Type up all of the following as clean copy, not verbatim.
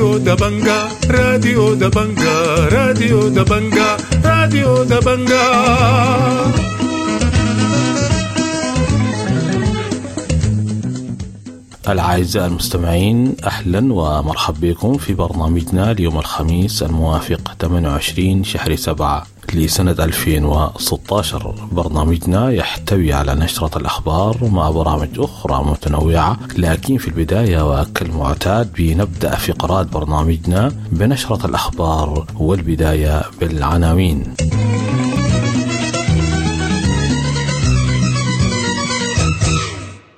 راديو دبنجا، راديو دبنجا، راديو دبنجا، راديو دبنجا. الأعزاء المستمعين، أهلا ومرحبا بكم في برنامجنا اليوم الخميس الموافق 28 شهر 7 لسنة 2016. برنامجنا يحتوي على نشرة الأخبار مع برامج أخرى متنوعة، لكن في البداية وكالمعتاد بنبدأ فقرات برنامجنا بنشرة الأخبار، والبداية بالعناوين.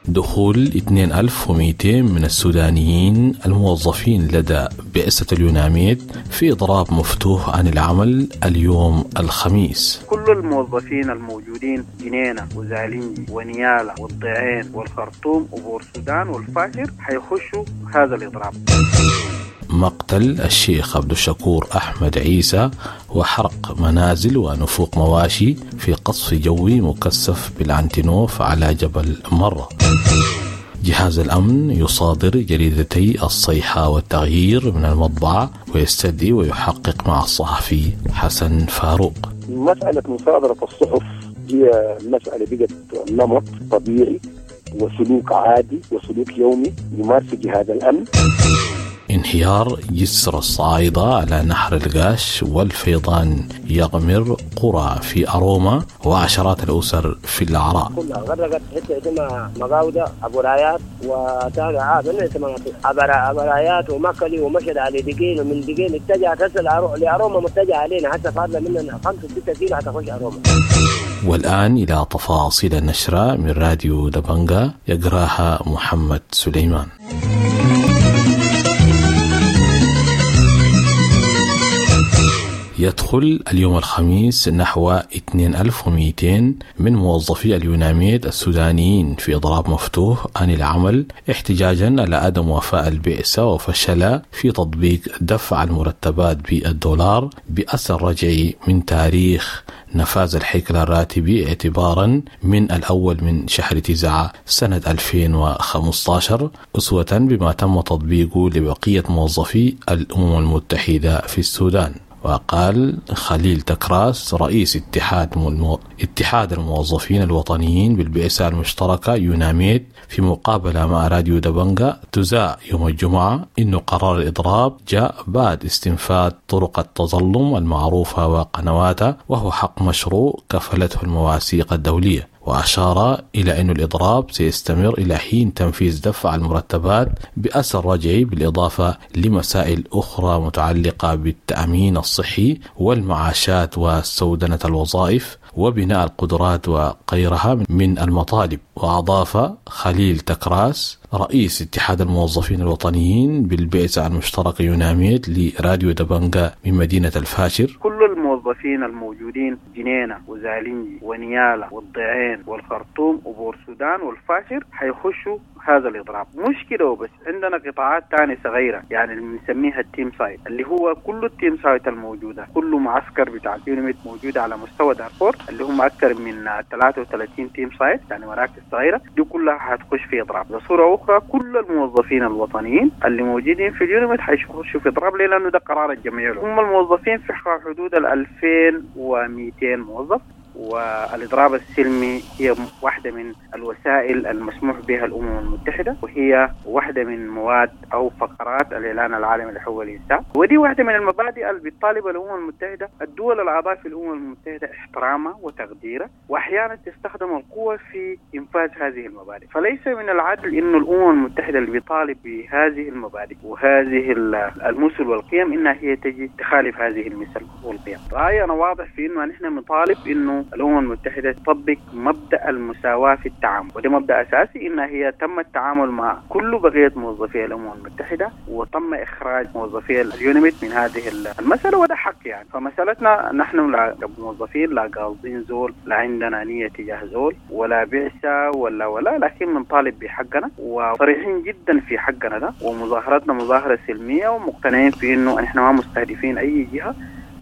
دخول 2200 من السودانيين الموظفين لدى بعثة اليوناميد في إضراب مفتوح عن العمل اليوم الخميس. كل الموظفين الموجودين جنينة وزالينجي ونيالا والضعين والخرطوم وبور السودان والفاشر حيخشوا هذا الإضراب. مقتل الشيخ عبد الشكور أحمد عيسى وحرق منازل ونفوق مواشي في قصف جوي مكثف بالعنتنوف على جبل مرة. جهاز الأمن يصادر جريدتي الصيحة والتغيير من المطبعة ويستدعي ويحقق مع الصحفي حسن فاروق. مسألة مصادرة الصحف هي مسألة بقت نمط طبيعي وسلوك عادي وسلوك يومي يمارس جهاز الأمن. انهيار جسر الصعايدة على نهر القاش والفيضان يغمر قرى في أروما وعشرات الأسر في العراء. كلها غرقت حتة اسمها مقاودة أبو رايات وتابع أبو رايات ومكلي ومشهد على دقين، ومن دقين اتجهت هسه لأروما، متجهة علينا حتى فاضلة مننا 5-6 كيلو حتخش أروما. والآن إلى تفاصيل النشرة من راديو دبنجا يقراها محمد سليمان. يدخل اليوم الخميس نحو 2200 من موظفي اليوناميد السودانيين في إضراب مفتوح عن العمل احتجاجا على عدم وفاء البعثة وفشل في تطبيق دفع المرتبات بالدولار بأثر رجعي من تاريخ نفاذ الهيكل الراتبي اعتبارا من الأول من شهر 9 سنة 2015، أسوة بما تم تطبيقه لبقية موظفي الأمم المتحدة في السودان. وقال خليل تكراس رئيس اتحاد الموظفين الوطنيين بالبعثة المشتركة يوناميد في مقابلة مع راديو دبنجا تزاء يوم الجمعة إنه قرار الإضراب جاء بعد استنفاذ طرق التظلم المعروفة وقنواتها، وهو حق مشروع كفلته المواثيق الدولية. وأشار إلى أن الإضراب سيستمر إلى حين تنفيذ دفع المرتبات بأثر رجعي، بالإضافة لمسائل أخرى متعلقة بالتأمين الصحي والمعاشات وسودنة الوظائف وبناء القدرات وغيرها من المطالب. وأضاف خليل تكراس رئيس اتحاد الموظفين الوطنيين بالبعثة المشتركة يوناميد لراديو دبنجا من مدينة الفاشر: كل الموظفين الموجودين جنينة وزالينجي ونيالا والضعين والخرطوم وبور السودان والفاشر حيخشوا هذا الإضراب. مش كده وبس، عندنا قطاعات تانية صغيرة يعني اللي بنسميها ال team site، اللي هو كل ال team site الموجودة، كل معسكر بتاع اليوناميد موجود على مستوى دارفور اللي هم أكثر من 33 team site، يعني مراكز صغيرة، دي كلها هتخش في إضراب. بصورة أخرى كل الموظفين الوطنيين اللي موجودين في اليوناميد حيخشوا في إضراب. ليه؟ لأنه ده قرار الجمعية. هم الموظفين في حدود 2200 موظف، والإضراب السلمي هي واحدة من الوسائل المسموح بها الأمم المتحدة، وهي واحدة من مواد أو فقرات الإعلان العالمي لحقوق الإنسان، ودي واحدة من المبادئ اللي بتطالب الأمم المتحدة الدول الأعضاء في الأمم المتحدة احترامها وتقديرها، وأحيانا تستخدم القوة في إنفاذ هذه المبادئ. فليس من العدل إنه الأمم المتحدة اللي بيطالب بهذه المبادئ وهذه المثل والقيم إنها هي تجي تخالف هذه المثل والقيم. رأيي أنا واضح في إنه نحن نطالب إنه الأمم المتحدة تطبق مبدأ المساواة في التعامل، وده مبدأ أساسي إن هي تم التعامل مع كل بقية موظفي الأمم المتحدة وتم إخراج موظفي اليوناميد من هذه المسألة، وده حق يعني. فمسألتنا نحن لا موظفين لا قاصدين زول، لا عندنا نية تجاه زول ولا بعثة ولا، لكن بنطالب بحقنا وصريحين جدا في حقنا ده، ومظاهرتنا مظاهرة سلمية ومقتنعين في إنه نحن ما مستهدفين أي جهة.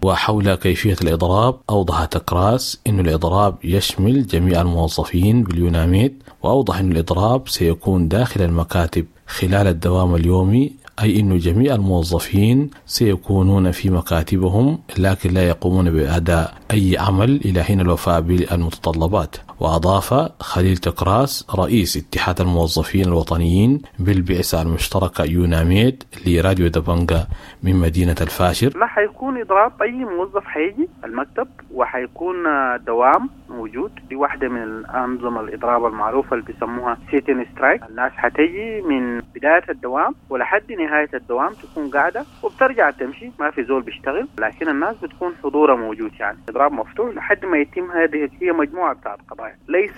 وحول كيفية الإضراب أوضح تكراس أن الإضراب يشمل جميع الموظفين باليوناميد، وأوضح أن الإضراب سيكون داخل المكاتب خلال الدوام اليومي أي أن جميع الموظفين سيكونون في مكاتبهم لكن لا يقومون بأداء أي عمل إلى حين الوفاء بالمتطلبات. وأضاف خليل تكراس رئيس اتحاد الموظفين الوطنيين بالبعثة المشتركة يوناميد لراديو دبنجا من مدينة الفاشر: لا حيكون إضراب، أي موظف حيجي المكتب وحيكون دوام موجود. دي واحدة من الأنظمة الإضراب المعروفة اللي بيسموها sit-in strike. الناس حتيجي من بداية الدوام ولحد نهاية الدوام تكون قاعدة وبترجع تمشي، ما في زول بيشتغل، لكن الناس بتكون حضورها موجود. يعني إضراب مفتوح لحد ما يتم. هذه هي مجموعة بتاعت قضايا، ليس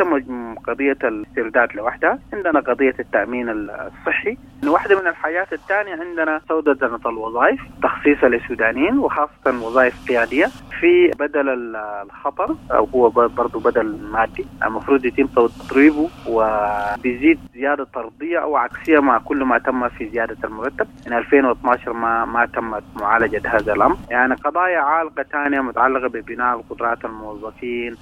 قضية الاسترداد لوحدها، عندنا قضية التأمين الصحي. واحدة من الحاجات الثانية عندنا سودة الوظائف، تخصيصها للسودانيين وخاصة وظائف قيادية في بدل الخطر، أو هو برضو بدل مادي المفروض يتم تضريبه، وبيزيد زيادة طردية أو عكسية مع كل ما تم في زيادة المرتب. من 2012 ما تمت معالجة هذا الأمر. يعني قضايا عالقة ثانية متعلقة ببناء القدرات الموظفين.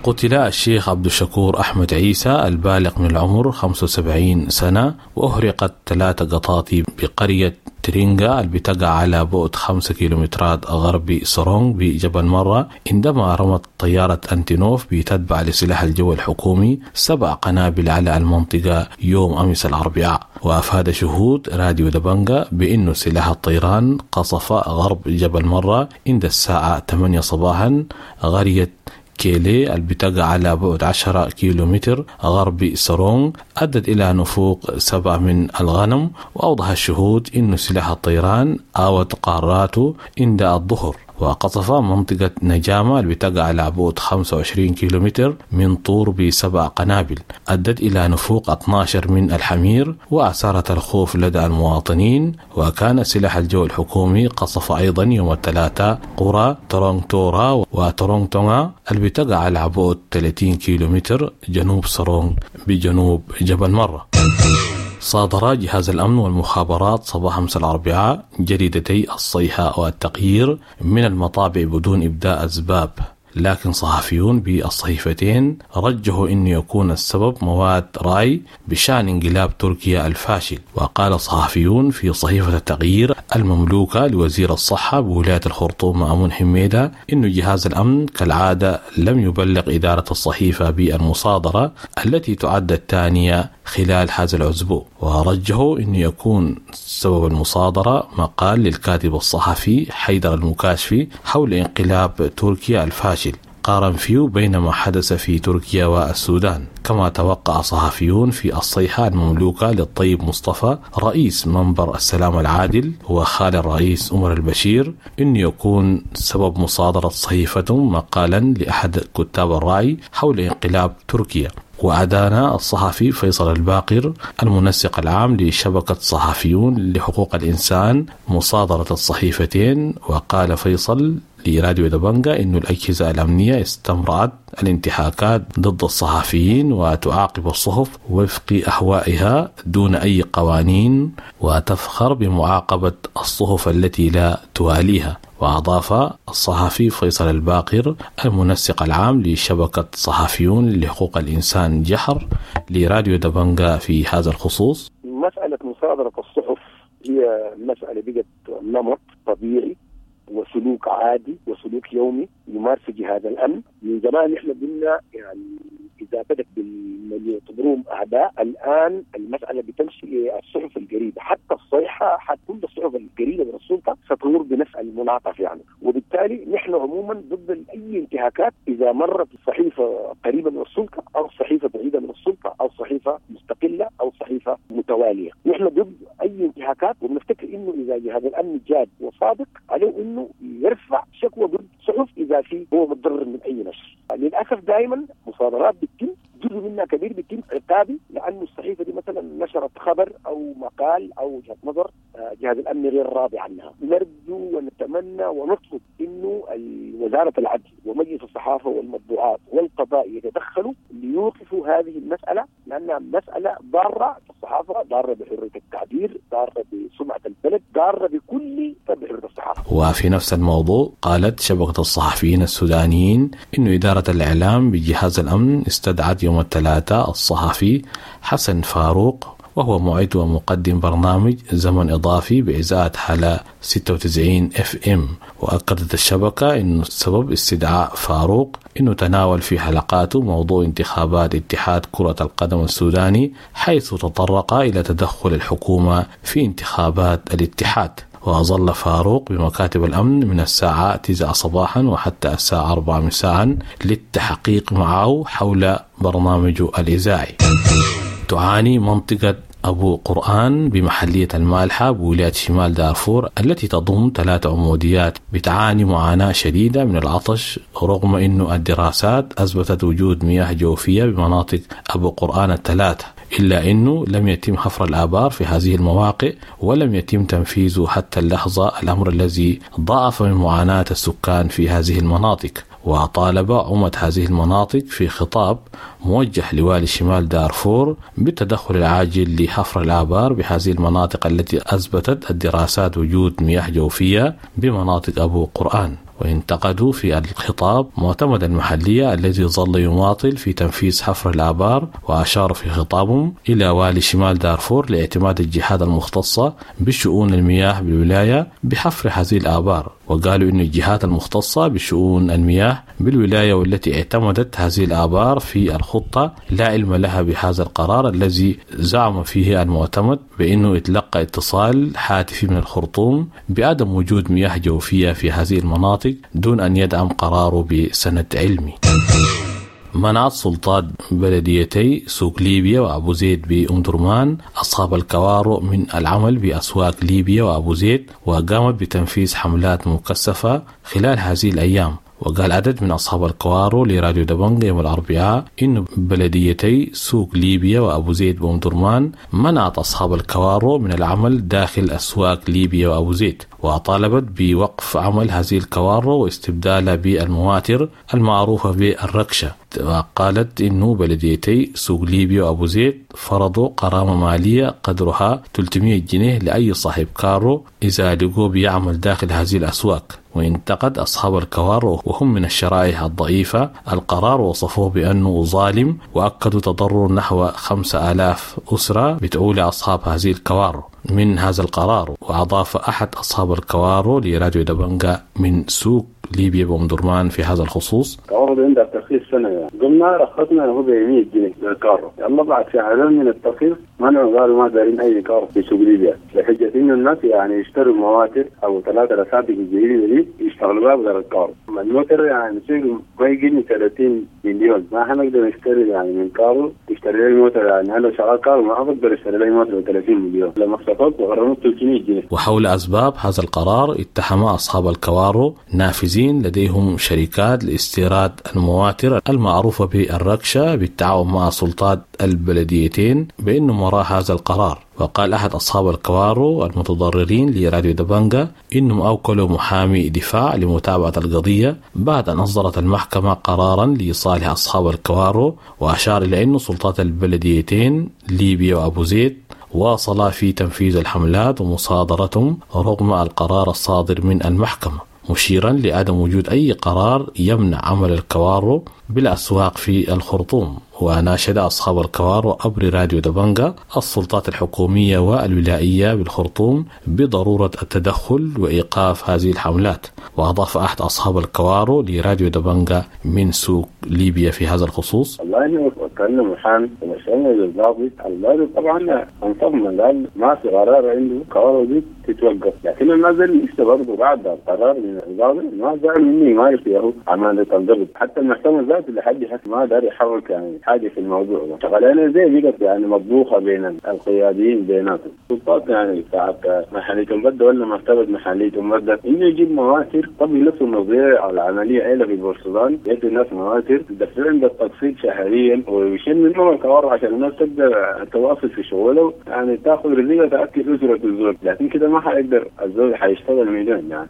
قتل الشيخ عبد الشكور أحمد عيسى البالغ من العمر 75 سنة، وأهرقت 3 قطاطي بقرية ترينغا اللي بتقع على بعد 5 كيلومترات غرب سرونغ بجبل مرة، عندما رمت طيارة أنتينوف بتتبع لسلاح الجو الحكومي 7 قنابل على المنطقة يوم أمس الأربعاء. وأفاد شهود راديو دبنجا بأنه سلاح الطيران قصف غرب جبل مرة عند الساعة 8 صباحا قرية كيلي اللي بتقع على بعد 10 كيلومتر غرب سرونغ، أدت إلى نفوق 7 من الغنم. وأوضح الشهود أن سلاح الطيران آوت قاراته عند الظهر، وقصف منطقة نجامة اللي بتقع على بعد 25 كيلومتر من طور ب7 قنابل، أدت إلى نفوق 12 من الحمير وأثارت الخوف لدى المواطنين. وكان سلاح الجو الحكومي قصف أيضا يوم الثلاثاء قرى ترونغتورا وترونغتونغا اللي بتقع على بعد 30 كيلومتر جنوب سرونغ بجنوب جبل مرة. صادر جهاز الأمن والمخابرات صباح أمس الأربعاء جريدتي الصيحة والتغيير من المطابع بدون إبداء أسباب، لكن صحفيون بالصحيفتين رجحوا أن يكون السبب مواد رأي بشأن انقلاب تركيا الفاشل. وقال صحفيون في صحيفة التغيير المملوكة لوزير الصحة بولاية الخرطوم مأمون حميدة أن جهاز الأمن كالعادة لم يبلغ إدارة الصحيفة بالمصادرة التي تعد الثانية خلال هذا الأسبوع. ورجحوا أن يكون سبب المصادرة مقال للكاتب الصحفي حيدر المكاشفي حول انقلاب تركيا الفاشل، قارن فيه بين ما حدث في تركيا والسودان. كما توقع صحفيون في الصيحة المملوكة للطيب مصطفى رئيس منبر السلام العادل وخال الرئيس عمر البشير أن يكون سبب مصادرة صحيفتهم مقالا لأحد كتاب الرأي حول انقلاب تركيا. وأدان الصحفي فيصل الباقر المنسق العام لشبكة صحفيون لحقوق الإنسان مصادرة الصحيفتين. وقال فيصل لراديو دبنجا إن الأجهزة الأمنية استمرت الانتهاكات ضد الصحفيين وتعاقب الصحف وفق أهوائها دون أي قوانين، وتفخر بمعاقبة الصحف التي لا تواليها. وأضاف الصحفي فيصل الباقر المنسق العام لشبكة صحفيون لحقوق الإنسان جحر لراديو دبنجا في هذا الخصوص: مسألة مصادرة الصحف هي مسألة بقت نمط طبيعي وسلوك عادي وسلوك يومي يمارس جهاز الأمن من زمان. نحن قلنا يعني إذا بدت بالمن يعتبروهم أعداء، الآن المسألة بتمشي الصحف القريبة، حتى الصيحة، حتى كل الصحف القريبة من السلطة ستمر بنفس المنعطف يعني. وبالتالي نحن عموما ضد أي انتهاكات إذا مرت الصحيفة قريبة من السلطة أو صحيفة بعيدة من السلطة أو صحيفة مستقلة أو صحيفة متوالية. نحن ضد أي انتهاكات، وبنفتكر إنه إذا جهاز الأمن جاد وصادق عليه إنه يرفع شكوى ضد صحف إذا في هو متضرر من أي نشر. للأسف دائما مصادرات بتتم جزء منها كبير بيتم عقابي، لأنه الصحيفة دي مثلا نشرت خبر أو مقال أو وجهة نظر جهاز الأمن غير راضي عنها. نرجو ونتمنى ونطلب إنه وزارة العدل ومجلس الصحافة والمطبوعات والقضاء يتدخلوا ليوقفوا هذه المسألة، لأنها مسألة ضارة بالصحافة، ضارة بحرية التعبير، ضارة بسمعة البلد، ضارة بكل بحرية الصحافة. وفي نفس الموضوع قالت شبكة الصحفيين السودانيين إنه إدارة الإعلام بجهاز الأمن استدعت يوم الثلاثاء الصحفي حسن فاروق وهو معد ومقدم برنامج زمن إضافي بإذاعة حلا 96 FM. وأكدت الشبكة أن سبب استدعاء فاروق أنه تناول في حلقاته موضوع انتخابات اتحاد كرة القدم السوداني، حيث تطرق إلى تدخل الحكومة في انتخابات الاتحاد. وظل فاروق بمكاتب الأمن من الساعة 9 صباحا وحتى الساعة 4 مساء للتحقيق معه حول برنامجه الإذاعي. تعاني منطقة أبو قرآن بمحلية المالحة بولاية شمال دارفور التي تضم 3 عموديات بتعاني معاناة شديدة من العطش، رغم أنه الدراسات أثبتت وجود مياه جوفية بمناطق أبو قرآن الثلاثة، إلا أنه لم يتم حفر الآبار في هذه المواقع ولم يتم تنفيذه حتى اللحظة، الأمر الذي ضاعف من معاناة السكان في هذه المناطق. وطالب عمد هذه المناطق في خطاب موجه لوالي شمال دارفور بالتدخل العاجل لحفر الآبار بهذه المناطق التي أثبتت الدراسات وجود مياه جوفية بمناطق أبو قرآن. وانتقدوا في الخطاب معتمد المحلية الذي ظل يماطل في تنفيذ حفر الآبار، وأشار في خطابهم إلى والي شمال دارفور لاعتماد الجهات المختصة بشؤون المياه بالولاية بحفر هذه الآبار. وقالوا إن الجهات المختصة بشؤون المياه بالولاية والتي اعتمدت هذه الآبار في الخطة لا علم لها بهذا القرار الذي زعم فيه المعتمد بأنه اتلقى اتصال هاتفي من الخرطوم بعدم وجود مياه جوفية في هذه المناطق دون أن يدعم قراره بسند علمي. منعت سلطات بلديتي سوق ليبيا وأبو زيد بأم درمان أصحاب الكوارو من العمل بأسواق ليبيا وأبو زيد، وقامت بتنفيذ حملات مكثفة خلال هذه الأيام. وقال عدد من أصحاب الكوارو لراديو دبنجا يوم الأربعاء إن بلديتي سوق ليبيا وأبو زيد بأم درمان منعت أصحاب الكوارو من العمل داخل أسواق ليبيا وأبو زيد، وطالبت بوقف عمل هذه الكوارو واستبدالها بالمواتر المعروفة بالركشة. وقالت إنه بلديتي سوق ليبيا وأبو زيد فرضوا غرامة مالية قدرها 300 جنيه لأي صاحب كارو إذا لقوه بيعمل داخل هذه الأسواق. وانتقد أصحاب الكوارو وهم من الشرائح الضعيفة القرار، وصفوه بأنه ظالم، وأكدوا تضرر نحو 5000 أسرة بتعول أصحاب هذه الكوارو من هذا القرار. وأضاف أحد أصحاب الكوارو لراديو دبنجا من سوق ليبيا بأم درمان في هذا الخصوص: كوارو عندها ترخيص سنة يعني. قمنا رخصنا هو ب 100 جنيه للكارو، يلا بعد شهرين من الترخيص منعوا، قالوا ما دارين أي كارو في سوق ليبيا، لحجة إنه الناس يعني يشتروا مواتر أو 3 رساتك الجديدة دي يشتغلوا بها بدل الكارو. الموتر يعني سوق ما يجيني 30 مليون، ما حنقدر نشتري يعني من كارو تشتري لي موتر، يعني أنا شغال كارو ما أقدر اشتري لي موتر ب 30 مليون، لما اختفت وغرمت 300 جنيه. وحول أسباب هذا القرار اتهم أصحاب الكوارو نافذين لديهم شركات لاستيراد المواتر المعروفة بالركشة بالتعاون مع سلطات البلديتين بأنه وراء هذا القرار. وقال أحد أصحاب الكوارو المتضررين لراديو دبنجا إنهم أوكلوا محامي دفاع لمتابعة القضية بعد أن أصدرت المحكمة قرارا لصالح أصحاب الكوارو، وأشار إلى أن سلطات البلديتين ليبيا وأبو زيد واصلا في تنفيذ الحملات ومصادرتهم رغم القرار الصادر من المحكمة، مشيرا لعدم وجود أي قرار يمنع عمل الكوارو بالأسواق في الخرطوم. وناشد أصحاب الكوارو عبر راديو دبنجا السلطات الحكومية والولائية بالخرطوم بضرورة التدخل وإيقاف هذه الحملات. وأضاف أحد أصحاب الكوارو لراديو دبنجا من سوق ليبيا في هذا الخصوص: والله وكلنا محامي ومشينا للضابط، الضابط طبعا انصفنا، قال ما في قرار عنده كوارو دي تتوقف، لكن الناس لسه برضه بعد القرار من الضابط ما زعل مني ما يعرف عمل الضبط، حتى المحكمة ذاته لحد حتى ما دار يحرك يعني حاجة في الموضوع ده. شغلانة زي بقت يعني مطبوخه بين القياديين بيناتهم، السلطات يعني بتاعت محليه مبدأ ولا مكتبه محليه مبدأ انه يجيب مواتر، طب يلفوا الموضوع العملية عيله في بورسودان، يدوا الناس مواتر يدفعون بالتقسيط شهريا ويشيل منهم الكوارو عشان الناس تقدر تواصل في شغله، يعني تاخذ رزقها تاكل اسره الزول، لكن كده ما حيقدر الزول حيشتغل مليون يعني.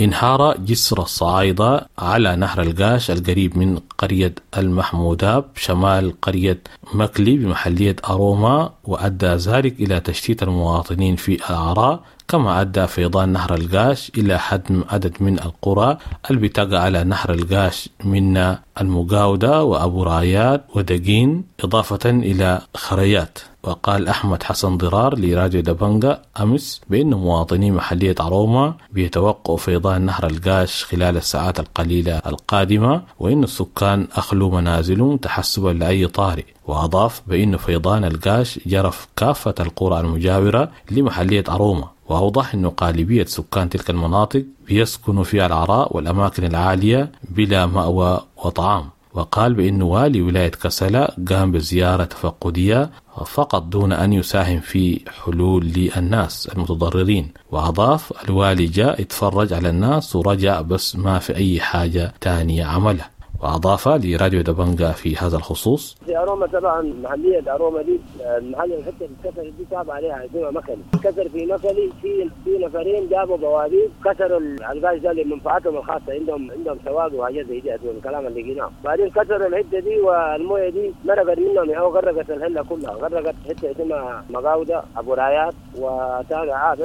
انهار جسر الصعايدة على نهر القاش القريب من قرية المحموداب شمال قرية مكلي بمحلية أروما، وأدى ذلك إلى تشتيت المواطنين في العراء، كما أدى فيضان نهر القاش إلى هدم عدد من القرى اللي بتقع على نهر القاش من المقاودة وأبو رايات ودقين، إضافة إلى خريات. وقال أحمد حسن ضرار لراديو دبنجا أمس بأن مواطني محلية عرومة بيتوقعوا فيضان نهر القاش خلال الساعات القليلة القادمة، وإن السكان أخلوا منازلهم تحسبا لأي طارئ. وأضاف بأن فيضان القاش جرف كافة القرى المجاورة لمحلية عرومة، وأوضح أن غالبية سكان تلك المناطق بيسكنوا في العراء والأماكن العالية بلا مأوى وطعام. وقال بأن والي ولاية كسلا قام بزيارة تفقدية فقط دون أن يساهم في حلول للناس المتضررين. وأضاف الوالي جاء يتفرج على الناس ورجع، بس ما في أي حاجة تانية عملها. وأضاف لراديو دبنجا في هذا الخصوص: في أروما طبعا محلية أروما دي المحل الحتة اللي اتكسرت دي تابعة عليها اسمها مكلي، كسر في مكلي في نفرين جابوا بوابير كسروا الغاز ده لمنفعتهم الخاصة، عندهم سواق وحاجات زي دي الكلام اللي لقيناه. بعدين كسروا الحتة دي والمويه دي مرقت منهم أو غرقت الهلة كلها، غرقت حتة اسمها مقاودة أبو رايات وتابع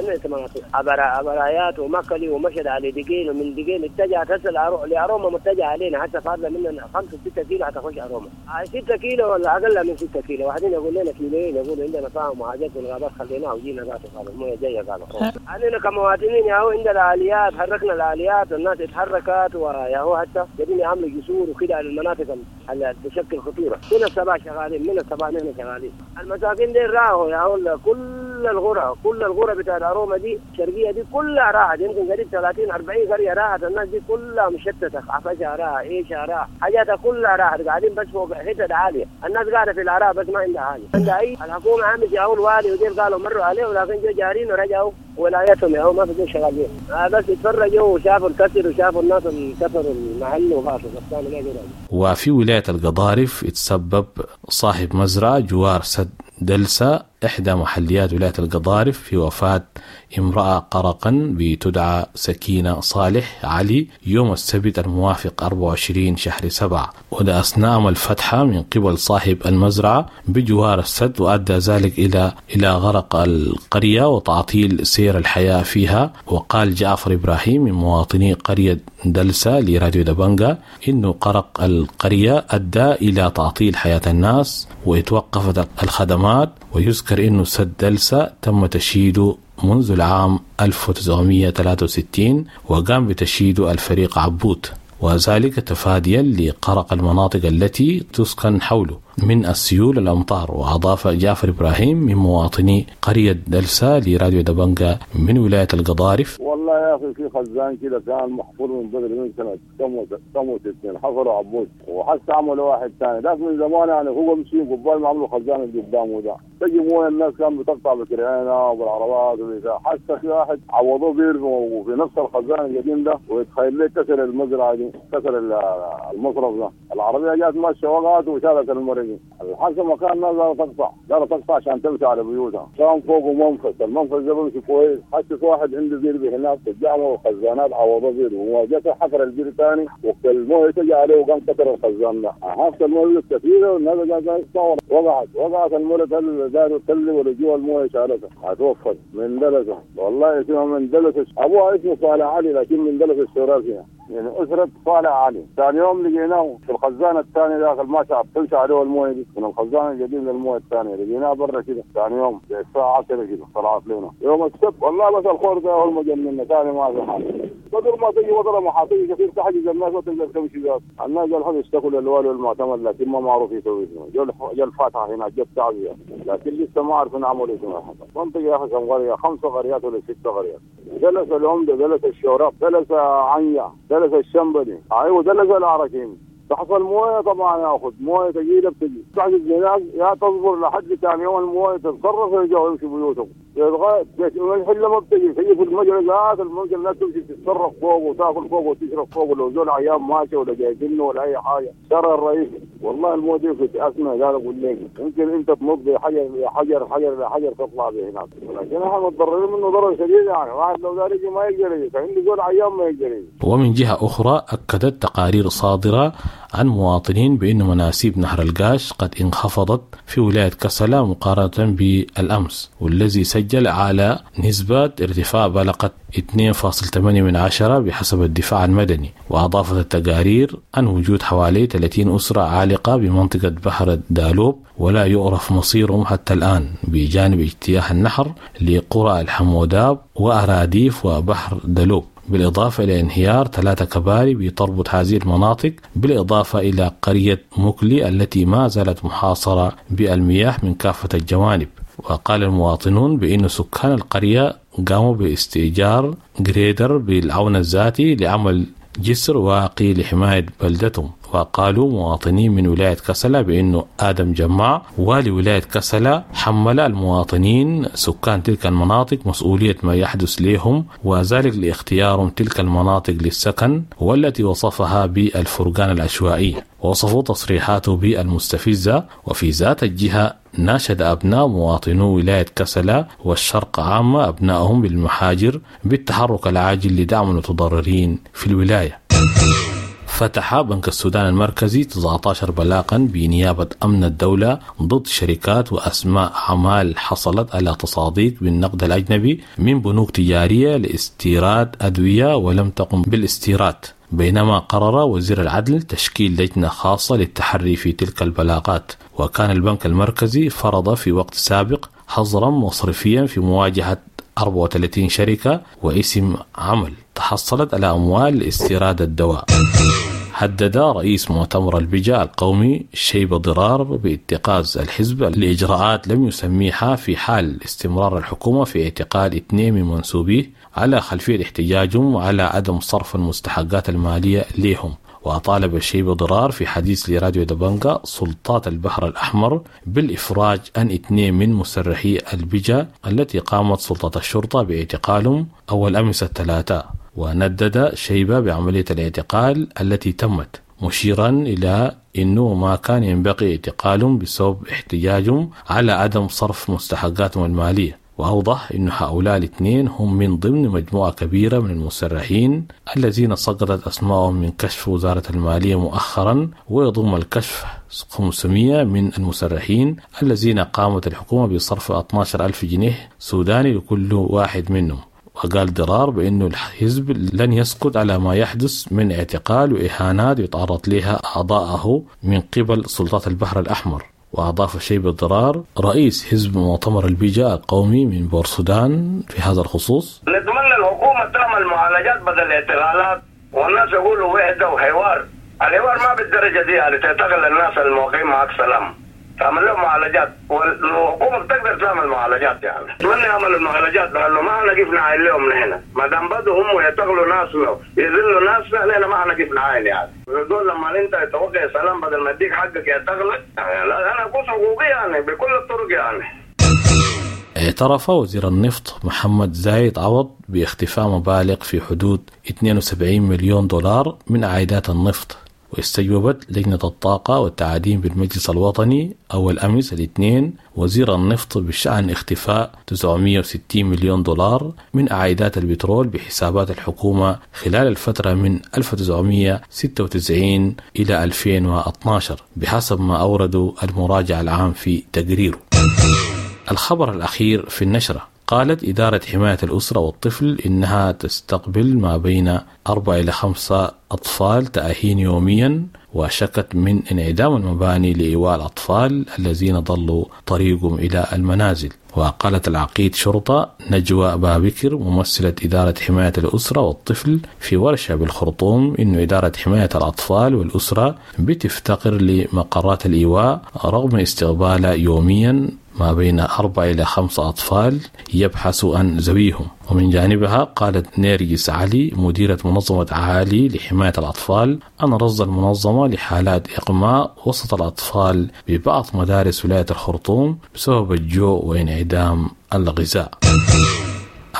أبو رايات ومكلي ومشت على دقين، ومن دقين اتجهت هسه لأروما متجهة علينا حتى فاضلة مننا 5-6 كيلو حتخش أروما، 6 كيلو ولا أقل من 6 كيلو. واحدين يقول لنا كيلوين، يقول عندنا فاهم وحاجات في الغابات خليناها وجينا ذاته قالوا المويه جاية قالوا. علينا كمواطنين يا هو عندنا الآليات، حركنا الآليات والناس اتحركت، ويا هو حتى قاعدين يعملوا جسور وكده على المناطق اللي تشكل خطورة. من الصباح شغالين، من الصباح نحن شغالين. المساكين دي راحوا يا هو كل الغرة بتاع أروما دي الشرقية دي كلها راحت، يمكن قريب 30-40 قرية راحت. الناس دي كلها مشتتة، عفشها راح، ايشها راح، حاجاتها كلها راحت، قاعدين بس فوق حتت عالية. الناس قاعدة في العراء بس ما عندها حاجة، عندها أي الحكومة عامل يا الوالي وديل قالوا مروا عليه، ولكن جو جارين ورجعوا ولايتهم يا هو ما في زول شغالين، بس يتفرجوا وشافوا الكسر وشافوا الناس اللي كسروا المحل وغاصوا بس ما جروا. وفي ولاية القضارف اتسبب صاحب مزرعة جوار سد دلسة إحدى محليات ولاية القضارف في وفاة امرأة قرقا بتدعى سكينة صالح علي يوم السبت الموافق 24 شهر 7، وده أثناء الفتحة من قبل صاحب المزرعة بجوار السد، وأدى ذلك إلى غرق القرية وتعطيل سير الحياة فيها. وقال جعفر إبراهيم من مواطني قرية دلسة لراديو دبنجا إنه قرق القرية أدى إلى تعطيل حياة الناس وتوقفت الخدمات. ويذكر إنه سد دلسة تم تشييده منذ العام 1963 وقام بتشييده الفريق عبوت، وذلك تفاديا لقرق المناطق التي تسكن حوله من السيول الأمطار. وأضاف جعفر إبراهيم من مواطني قرية دلسة لراديو دبنجا من ولاية القضارف: والله يا أخي في خزان كده كان محفور من بدري من سنة 68 حفروا عبوت، وحتى عملوا واحد ثاني ذاك من زمان، يعني هو مشي قبال ما عملوا خزان اللي قدامه ده، تجي مويه الناس كان بتقطع بكرعينه وبالعربات وبتاع، حتى في واحد عوضوه بير في نفس الخزان القديم ده، ويتخيل لي كسر المزرعة دي، كسر المصرف ده، العربية جات ماشية وقعت وشالت المرة دي. الحسن مكان الناس دارت تقطع، دارت تقطع عشان تمشي على بيوتها، كان فوقه منفذ، المنفذ ده بيمشي كويس، حتى في واحد عنده بير هناك قدامه الخزانات عوضوه بير، وجات حفر البير ثاني وقت المويه تجي عليه وقام كسر الخزان ده، حتى المويه كثيرة والناس قاعدة تقطع، وقعت المويه داروا تلي ولا جوا المويه شالتها، هتوفت من دلسه، والله اسمها من دلسه، ابوها اسمه صالح علي لكن من دلسه الشرافيه، يعني أسرة صالح علي. ثاني يوم لقيناه في الخزانة الثانية داخل ما شعب تمشي عليه المويه دي من الخزانة القديم للمويه الثانية، لقيناه برا كده ثاني يوم الساعة 10 كده طلعت لنا يوم السبت. والله بس الخور ده هو المجنن ثاني ما في حاجة، قدر ما تجي وضرة محاطية كثير تحجز الناس ما تقدر تمشي ذات. الناس الحين يشتكوا للوالي والمعتمد لكن ما معروف يسوي شنو، جو الفاتحة هناك جو التعزية لكن لسه ما عرفوا نعمل شنو. منطقة يا أخي كم قرية، 5 قريات ولا 6 قريات، جلس العمدة، جلس الشوراب، جلس عنيا، جلس الشنبلي، ايوه جلس العركين. تحصل مويه طبعا ياخذ مويه ثقيلة بتجي تحجز هناك، يا تصبر لحد ثاني يوم المويه تتصرف ويرجعوا يمشوا بيوتهم. الحلة ما بتجي، تجي في المجرى ذات المجرى الناس تمشي تتصرف فوق وتاكل فوق وتشرب فوق، لو زول عيان ماشي ولا جايبينه ولا اي حاجة. شر الرئيسي والله المويه دي في اسمه قال اقول لك يمكن انت تنط بحجر حجر حجر حجر تطلع به هناك، لكن احنا متضررين منه ضرر شديد، يعني واحد لو دار يجي ما يقدر يجي، عنده زول عيان ما يقدر يجي. ومن جهة اخرى اكدت تقارير صادرة عن مواطنين بأن مناسيب نهر القاش قد انخفضت في ولاية كسلا مقارنة بالأمس، والذي سجل على نسبة ارتفاع بلغت 2.8 بحسب الدفاع المدني. وأضافت التقارير عن وجود حوالي 30 أسرة عالقة بمنطقة بحر الدالوب ولا يعرف مصيرهم حتى الآن، بجانب اجتياح النهر لقرى الحموداب وأراديف وبحر دالوب، بالإضافة إلى انهيار 3 كباري بتربط هذه المناطق، بالإضافة إلى قرية مكلي التي ما زالت محاصرة بالمياه من كافة الجوانب. وقال المواطنون بأن سكان القرية قاموا باستئجار جريدر بالعون الذاتي لعمل جسر واقي لحماية بلدتهم. وقالوا مواطنين من ولاية كسلا بأنه آدم جماع والي ولاية كسلا حمل المواطنين سكان تلك المناطق مسؤولية ما يحدث لهم، وذلك لاختيارهم تلك المناطق للسكن والتي وصفها بالفرقان العشوائي، ووصفوا تصريحاته بالمستفزة. وفي ذات الجهة ناشد أبناء مواطنو ولاية كسلا والشرق عامة أبنائهم بالمحاجر بالتحرك العاجل لدعم المتضررين في الولاية. فتح بنك السودان المركزي 19 بلاغا بنيابة أمن الدولة ضد شركات وأسماء أعمال حصلت على تصاديق بالنقد الأجنبي من بنوك تجارية لاستيراد أدوية ولم تقم بالاستيراد، بينما قرر وزير العدل تشكيل لجنة خاصة للتحري في تلك البلاغات. وكان البنك المركزي فرض في وقت سابق حظرا مصرفيا في مواجهة 34 شركة واسم عمل تحصلت على أموال لاستيراد الدواء. هدد رئيس مؤتمر البجا القومي شيبة ضرار باتخاذ الحزب لإجراءات لم يسميها في حال استمرار الحكومة في اعتقال 2 من منسوبيه على خلفية احتجاجهم على عدم صرف المستحقات المالية لهم. وطالب الشيبة ضرار في حديث لراديو دبنجا سلطات البحر الأحمر بالإفراج عن 2 من مسرحي البجا التي قامت سلطة الشرطة باعتقالهم أول أمس الثلاثاء. وندد شيبة بعملية الاعتقال التي تمت، مشيرا إلى أنه ما كان ينبغي اعتقالهم بسبب احتجاجهم على عدم صرف مستحقاتهم المالية. وأوضح أن هؤلاء الاثنين هم من ضمن مجموعة كبيرة من المسرحين الذين سقطت أسمائهم من كشف وزارة المالية مؤخرا، ويضم الكشف 500 من المسرحين الذين قامت الحكومة بصرف 12,000 جنيه سوداني لكل واحد منهم. وقال ضرار بأنه الحزب لن يسكت على ما يحدث من اعتقال وإهانات يتعرض لها أعضاءه من قبل سلطات البحر الأحمر. وأضاف شيبة ضرار رئيس حزب مؤتمر البجا القومي من بورسودان في هذا الخصوص: نتمنى الحكومة تعمل معالجات بدل الاعتقالات، والناس يقولوا وحدة وحوار، الحوار ما بالدرجة دي يعني تعتقل الناس الموقعين معك سلام، تعمل لهم معالجات، والحكومة بتقدر تعمل معالجات يعني. أتمنى يعملوا المعالجات لأنه ما حنقف نعاين لهم نحن، ما دام بدوا هم يعتقلوا ناسنا يذلوا ناسنا نحن ما حنقف نعاين يعني. دول لما أنت توقع سلام بدل ما يديك حقك يعتقلك، يعني أنا أقول حقوقي يعني بكل الطرق يعني. اعترف وزير النفط محمد زايد عوض باختفاء مبالغ في حدود 72 مليون دولار من عائدات النفط. واستجوبت لجنة الطاقة والتعدين بالمجلس الوطني أول أمس الاثنين وزير النفط بشأن اختفاء 960 مليون دولار من عائدات البترول بحسابات الحكومة خلال الفترة من 1996 إلى 2012 بحسب ما أوردوا المراجع العام في تقريره. الخبر الأخير في النشرة: قالت إدارة حماية الأسرة والطفل إنها تستقبل ما بين 4 إلى 5 أطفال تأهين يوميا، وشكت من انعدام المباني لإيواء الأطفال الذين ضلوا طريقهم إلى المنازل. وقالت العقيد شرطة نجوى بابكر ممثلة إدارة حماية الأسرة والطفل في ورشة بالخرطوم إن إدارة حماية الأطفال والأسرة بتفتقر لمقرات الإيواء رغم استقبالها يوميا ما بين 4 إلى 5 أطفال يبحثوا عن ذويهم. ومن جانبها قالت نيرجس علي مديرة منظمة عالي لحماية الأطفال أن رصد المنظمة لحالات إغماء وسط الأطفال ببعض مدارس ولاية الخرطوم بسبب الجوع وانعدام الغذاء.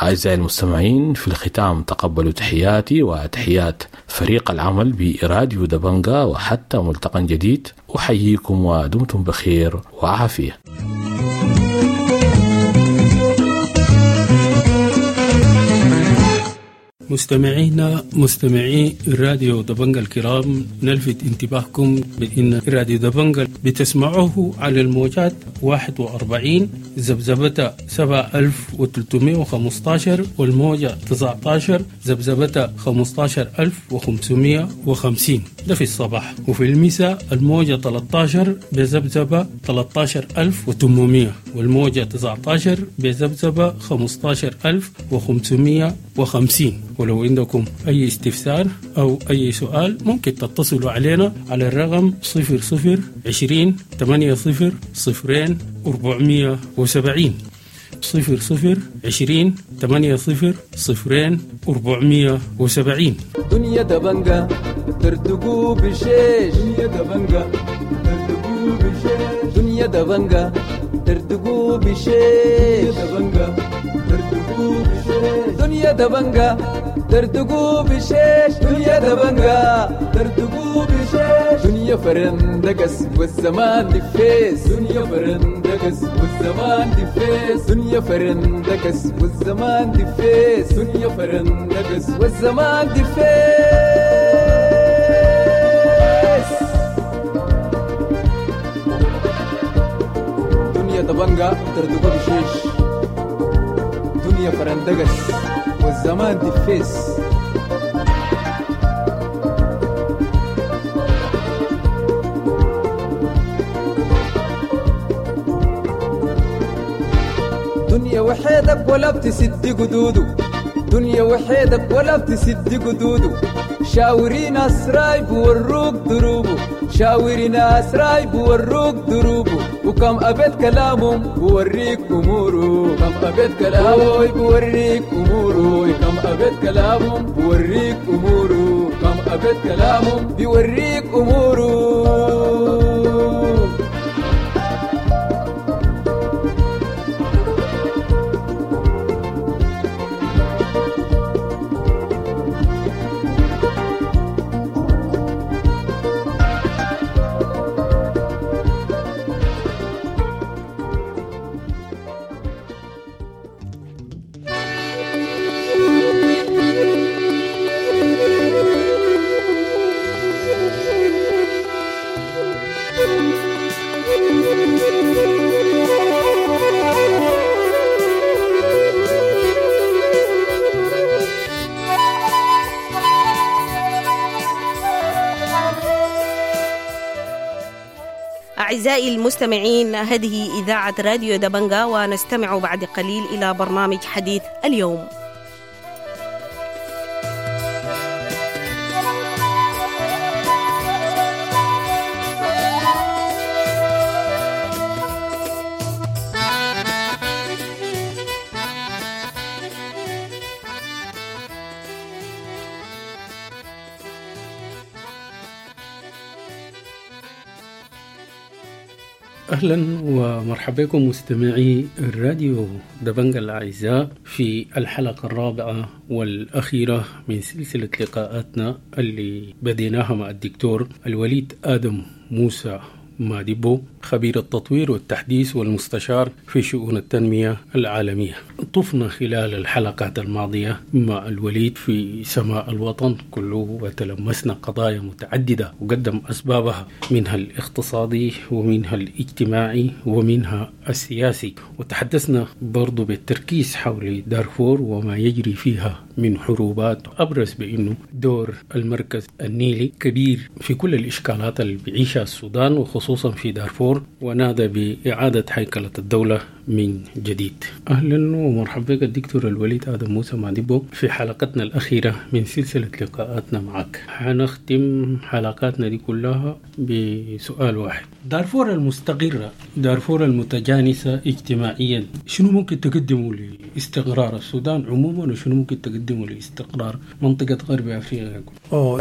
أعزائي المستمعين، في الختام تقبلوا تحياتي وتحيات فريق العمل براديو دبنجا، وحتى ملتقى جديد أحييكم ودمتم بخير وعافية. مستمعينا مستمعي راديو دبنجا الكرام، نلفت انتباهكم بأن راديو دبنجا بتسمعوه على الموجات 41 ذبذبة 7315 والموجة 19 ذبذبة 15550، ده في الصباح، وفي المساء الموجة 13 بذبذبة 13800 والموجة 19 بذبذبة 15550. ولو عندكم أي استفسار أو أي سؤال ممكن تتصلوا علينا على الرقم 00 20 80 0 470، 00 20 80 0 470. دنيا دبنجة ترتقو بشيش، دنيا دبنجة ترتقو بشيش، دنيا دبنجة ترتقو بشيش، دبنجة ترتقو بشيش، دنيا دبنجة ترتقو بشيش، دنيا دبنجة ترتقو بشيش، دنيا فرندقس والزمان دفيس، دنيا فرندقس والزمان دفيس، دنيا فرندقس والزمان دفيس، دنيا فرندقس والزمان دفيس. دنيا دبنجة ترتقو بشيش، دنيا فرندقس والزمان دفيس. دنيا وحيدك ولا بتسد قدوده، دنيا وحيدك ولا بتسد قدوده، شاوري ناس رايب وروك دروبه، شاوري ناس رايب وروك دروبه، وكم أبيت كلامهم بوريك أموره، كم أبيت كلامه بوريك أموره، كم أبيت كلامهم بوريك أموره، كم أبيت كلامهم بيوريك أموره. أعزائي المستمعين، هذه إذاعة راديو دبنجا، ونستمع بعد قليل إلى برنامج حديث اليوم. أهلا ومرحبا بكم مستمعي الراديو دبنجا الأعزاء في الحلقة الرابعة والأخيرة من سلسلة لقاءاتنا اللي بديناها مع الدكتور الوليد آدم موسى مادبو، خبير التطوير والتحديث والمستشار في شؤون التنمية العالمية. طفنا خلال الحلقات الماضية مع الوليد في سماء الوطن كله، وتلمسنا قضايا متعددة وقدم أسبابها، منها الاقتصادي ومنها الاجتماعي ومنها السياسي، وتحدثنا برضو بالتركيز حول دارفور وما يجري فيها من حروبات. أبرز بأنه دور المركز النيلي كبير في كل الإشكالات اللي بيعيشها السودان وخصوصا في دارفور، ونادى بإعادة هيكلة الدولة من جديد. أهلا ومرحبا بك الدكتور الوليد آدم موسى مادبو في حلقتنا الأخيرة من سلسلة لقاءاتنا معك. حنختم حلقاتنا دي كلها بسؤال واحد: دارفور المستقرة، دارفور المتجانسة اجتماعيا، شنو ممكن تقدمه لاستقرار السودان عموما، وشنو ممكن تقدمه لاستقرار منطقة غرب أفريقيا؟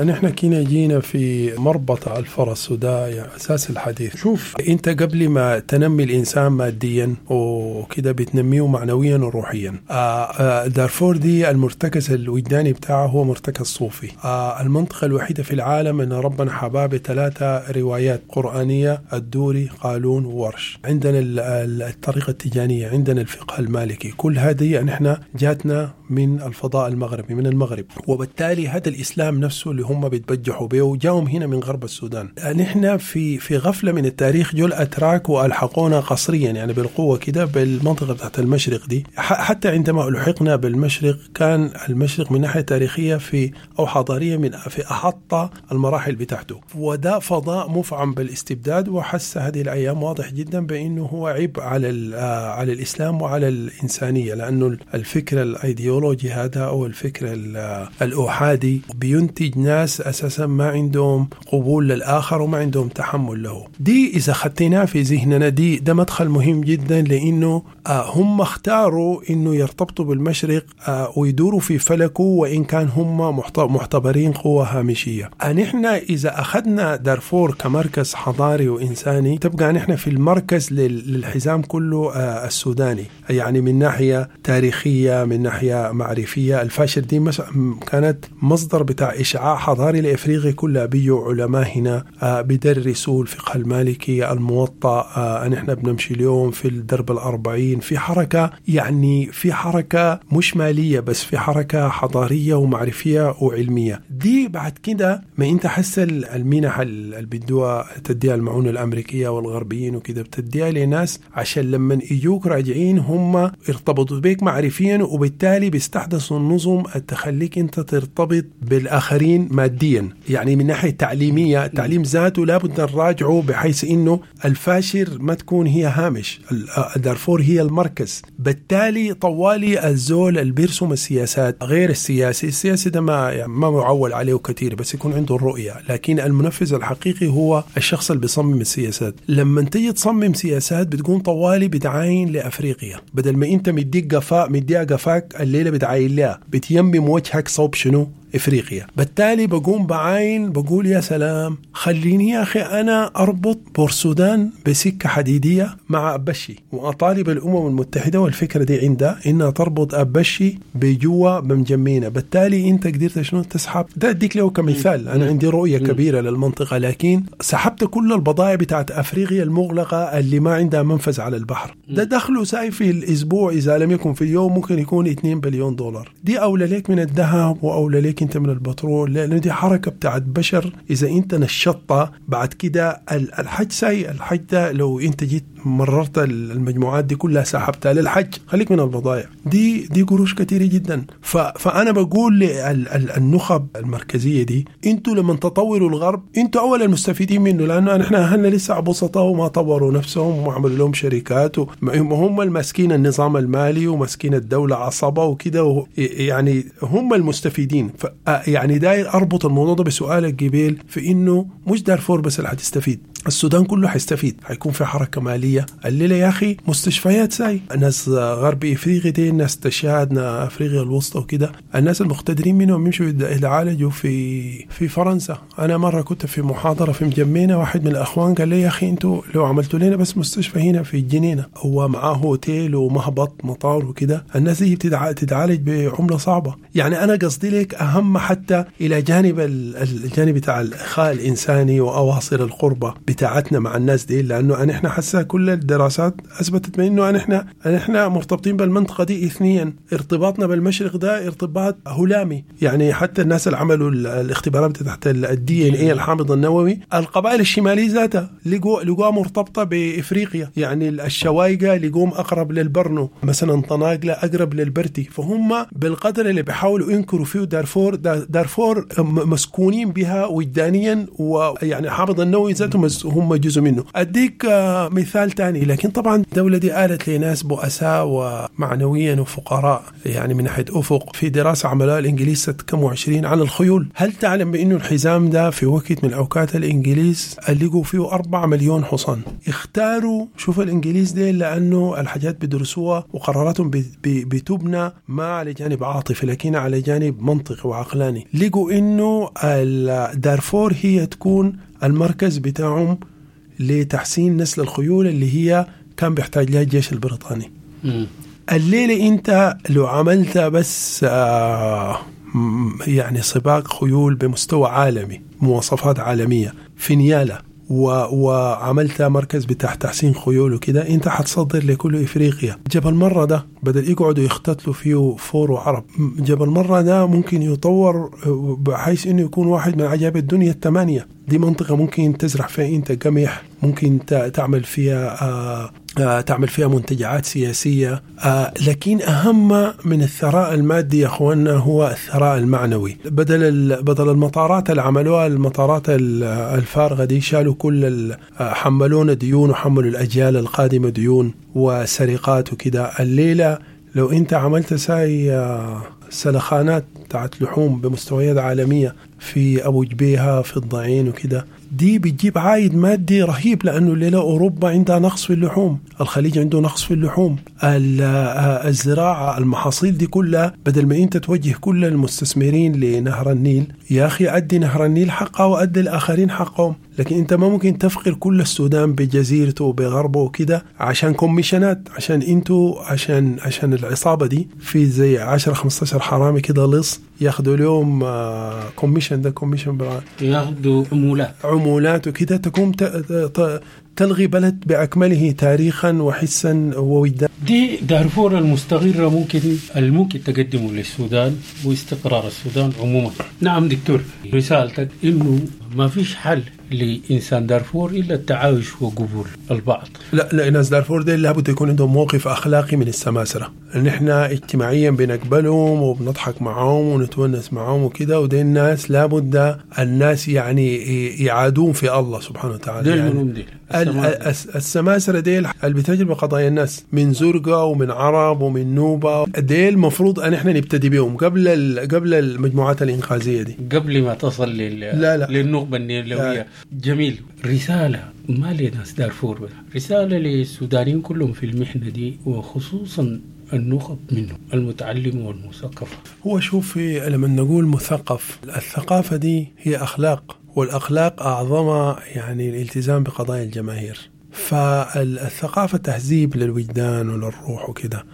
نحن كنا جينا في مربط الفرس، وده يعني أساس الحديث. شوف، أنت قبل ما تنمي الإنسان ماديا وكده بتنميه معنويا وروحيا. دارفور دي المرتكز الوجداني بتاعه هو مرتكز صوفي. المنطقة الوحيدة في العالم أن ربنا حباه بثلاثة روايات قرآنية: الدوري، قالون، وورش. عندنا الطريقة التجانية، عندنا الفقه المالكي. كل هذه نحن جاتنا من الفضاء المغربي، من المغرب، وبالتالي هذا الإسلام نفسه اللي هم بيتبجحوا به جاهم هنا من غرب السودان. نحن في غفلة من التاريخ جو الأتراك وألحقونا قصريا يعني بالقوة كده بالمنطقة بتاعت المشرق دي. حتى عندما ألحقنا بالمشرق كان المشرق من ناحية تاريخية في أو حضارية من في أحط المراحل بتاعته، وده فضاء مفعم بالاستبداد. وحس هذه الأيام واضح جدا بأنه هو عيب على الإسلام وعلى الإنسانية، لأنه الفكر الأيديولوجي هذا أو الفكر الأحادي بينتج ناس أساسا ما عندهم قبول للآخر وما عندهم تحمل له. دي إذا خدتناها في ذهننا دي ده مدخل مهم جدا، لأنه هم اختاروا أنه يرتبطوا بالمشرق ويدوروا في فلكه، وإن كان هم معتبرين قوة هامشية. نحن إذا أخذنا دارفور كمركز حضاري وإنساني تبقى نحن في المركز للحزام كله السوداني، يعني من ناحية تاريخية، من ناحية معرفية. الفاشر دي كانت مصدر بتاع إشعاع حضاري لإفريقيا كلها، بيجوا علماء هنا بيدرسوا الفقه المالكي، الموطأ، نحن بنمشي اليوم في الدرب الأربعين، في حركة، يعني في حركة مش مالية بس، في حركة حضارية ومعرفية وعلمية. دي بعد كده ما انت حس المنح اللي بدوها تديها المعونة الأمريكية والغربيين وكده بتديها لناس عشان لما يجوك راجعين هم ارتبطوا بيك معرفيا، وبالتالي بيستحدثوا النظم تخليك انت ترتبط بالآخرين ماديا. يعني من ناحية تعليمية، التعليم ذاته لابد نراجعه بحيث انه الفاشر ما تكون هي هامش، دارفور هي المركز. بالتالي طوالي الزول اللي بيرسم السياسات غير السياسي، السياسي ده ما يعني ما معول عليه كثير، بس يكون عنده الرؤية، لكن المنفذ الحقيقي هو الشخص اللي بيصمم السياسات. لما تيجي تصمم سياسات بتكون طوالي بتعاين لأفريقيا، بدل ما انت مديك قفاء مديها قفاك الليلة بتعاين لها، بتيمم وجهك صوب شنو؟ إفريقيا. بالتالي بقوم بعاين بقول يا سلام، خليني يا أخي أنا أربط بورسودان بسكة حديدية مع أبشي، وأطالب الأمم المتحدة والفكرة دي عندها إنها تربط أبشي بجوا بمجمينة. بالتالي أنت قدرت شنو تسحب ده، أديك له كمثال، أنا عندي رؤية كبيرة للمنطقة، لكن سحبت كل البضائع بتاعت أفريقيا المغلقة اللي ما عندها منفذ على البحر. ده دخله ساي في الأسبوع إذا لم يكن في اليوم ممكن يكون 2 بليون دولار. دي أولى لك من الذهب وأولى لك انت من البترول، لأنه دي حركة بتاعت بشر. إذا انت نشطت بعد كده الحج ساي، الحج ده لو انت جيت مررت المجموعات دي كلها سحبتها للحج، خليك من البضائع دي قروش كثيرة جدا. فأنا بقول للنخب المركزية دي، انتوا لما تطوروا الغرب انتوا أول المستفيدين منه، لأنه نحن أهلنا لسه بسطاء وما طوروا نفسهم وما عملوا لهم شركات، وهم الماسكين النظام المالي وماسكين الدولة عصابة وكده، يعني هم المستفيدين. يعني داير أربط الموضوع ده بسؤالك جبيل في إنه مش دارفور بس اللي هتستفيد، السودان كله حيستفيد، حيكون في حركة مالية. الليلة يا أخي مستشفيات ساي، ناس غرب إفريقيا دي، ناس تشاد، أفريقيا الوسطى وكده، الناس المقتدرين منهم يمشوا يتعالجوا في فرنسا. أنا مرة كنت في محاضرة في مجمينة، واحد من الأخوان قال لي يا أخي أنتوا لو عملتوا لنا بس مستشفى هنا في الجنينة، هو معاه هوتيل ومهبط مطار وكده، الناس دي بتتعالج بعملة صعبة. يعني أنا قصدي لك أهم حتى إلى جانب الجانب بتاع الإخاء الإنساني وأواصر القربة بتاعتنا مع الناس دي، لأنه نحن حاسة كل الدراسات أثبتت بأنه نحن مرتبطين بالمنطقة دي إثنيا، ارتباطنا بالمشرق ده ارتباط هلامي. يعني حتى الناس اللي عملوا الاختبارات تحت الDNA الحامض النووي، القبائل الشمالية ذاتها لقوها مرتبطة بإفريقيا، يعني الشوايقة لقوم أقرب للبرنو مثلا، طناقلة أقرب للبرتي. فهم بالقدر اللي بيحاولوا ينكروا فيه دارفور، دارفور مسكونين بها وجدانيا، ويعني الحامض النووي ذاته هم جزء منه. أديك مثال تاني، لكن طبعا الدولة دي قالت لناس بؤساء ومعنويا وفقراء، يعني من ناحية أفق. في دراسة عملها الإنجليز سنة كم وعشرين عن الخيول، هل تعلم بأنه الحزام ده في وقت من الأوقات الإنجليز لقوا فيه 4 مليون حصان؟ اختاروا، شوف الإنجليز دي لأنه الحاجات بدرسوها وقراراتهم بتبنى ما على جانب عاطفي لكن على جانب منطقي وعقلاني. لقوا إنه دارفور هي تكون المركز بتاعهم لتحسين نسل الخيول اللي هي كان بيحتاج لها الجيش البريطاني. الليلة انت لو عملت بس يعني سباق خيول بمستوى عالمي، مواصفات عالمية في نيالة، وعملت مركز بتاع تحسين خيول وكده، انت حتصدر لكل افريقيا. جبل مرة ده بدل يقعدوا يختتلوا فيه فور وعرب، جبل مرة ده ممكن يطور بحيث انه يكون واحد من عجائب الدنيا الثمانية. دي منطقة ممكن تزرع فيها انت قمح، ممكن تعمل فيها تعمل فيها منتجعات سياسية. لكن أهم من الثراء المادي يا أخواننا هو الثراء المعنوي. بدل المطارات اللي عملوها، المطارات الفارغة دي، شالوا كل حملونا ديون وحملوا الأجيال القادمة ديون وسرقات وكده. الليلة لو أنت عملت ساي سلخانات بتاعت لحوم بمستويات عالمية في أبو جبيهة، في الضعين وكده، دي بتجيب عائد مادي رهيب، لأنه الليلة أوروبا عندها نقص في اللحوم، الخليج عنده نقص في اللحوم، الزراعة، المحاصيل دي كلها، بدل ما أنت توجه كل المستثمرين لنهر النيل، يا أخي أدي نهر النيل حقه وأدي الآخرين حقهم. لكن أنت ما ممكن تفقر كل السودان بجزيرته وبغربه وكده عشان كوميشنات، عشان أنتوا، عشان العصابة دي في زي 10-15 حرامي كده لص ياخدوا لهم commission، ده commission ياخدوا عمولات وكده، تقوم تلغي بلد بأكمله تاريخا وحسا ووجدانا. دي دارفور المستقرة ممكن تقدمه للسودان واستقرار السودان عموما. نعم دكتور، رسالتك إنه ما فيش حل لإنسان دارفور إلا التعايش وقبول البعض. لا، ناس دارفور دي لابد يكون عندهم موقف أخلاقي من السماسرة. نحن اجتماعيا بنقبلهم وبنضحك معهم ونتونس معهم وكده، ودي الناس لابد الناس يعني يعادون في الله سبحانه وتعالى. ديل يعني ديل السماسرة ديل اللي بتجرب قضايا الناس من زرقاء ومن عرب ومن نوبة، ديل مفروض أن احنا نبتدي بهم قبل المجموعات الإنقاذية دي، قبل ما تصل لا. للنخبة النيلوية. جميل. رسالة ما لناس دارفور بس، رسالة للسودانيين كلهم في المحنة دي، وخصوصا النخب منهم المتعلم والمثقف. هو شوف، لما نقول مثقف، الثقافة دي هي أخلاق، والأخلاق أعظمها يعني الالتزام بقضايا الجماهير. فالثقافة تهذيب للوجدان وللروح وكده.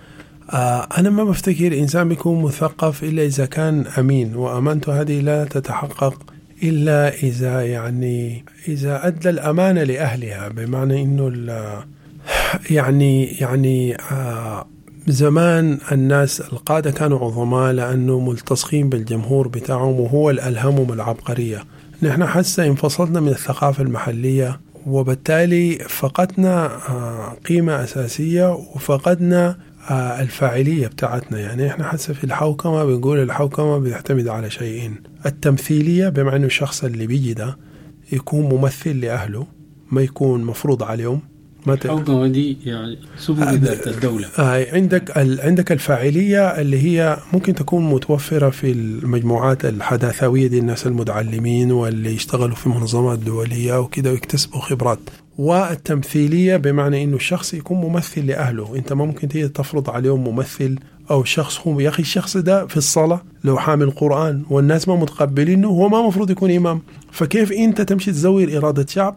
أنا ما بفتكر إنسان بيكون مثقف إلا إذا كان أمين، وأمانته هذه لا تتحقق إلا إذا يعني إذا أدى الأمانة لأهلها، بمعنى إنه يعني زمان الناس القادة كانوا عظماء لأنه ملتصقين بالجمهور بتاعهم، وهو اللي ألهمهم العبقرية. نحن حتى انفصلنا من الثقافة المحلية، وبالتالي فقدنا قيمة أساسية وفقدنا الفاعلية بتاعتنا. يعني احنا حتى في الحوكمة بنقول الحوكمة بتعتمد على شيئين: التمثيلية، بمعنى انه الشخص اللي بيجي ده يكون ممثل لأهله، ما يكون مفروض عليهم. الحوكمة دي يعني سبل إدارة الدولة. عندك الفاعلية اللي هي ممكن تكون متوفرة في المجموعات الحداثوية دي، الناس المتعلمين واللي يشتغلوا في منظمات دولية وكده ويكتسبوا خبرات. والتمثيلية بمعنى إنه الشخص يكون ممثل لأهله، أنت ما ممكن تيجي تفرض عليهم ممثل أو شخص. هم يا أخي الشخص ده في الصلاة لو حامل قرآن والناس ما متقبلينه، هو ما مفروض يكون إمام. فكيف أنت تمشي تزور إرادة شعب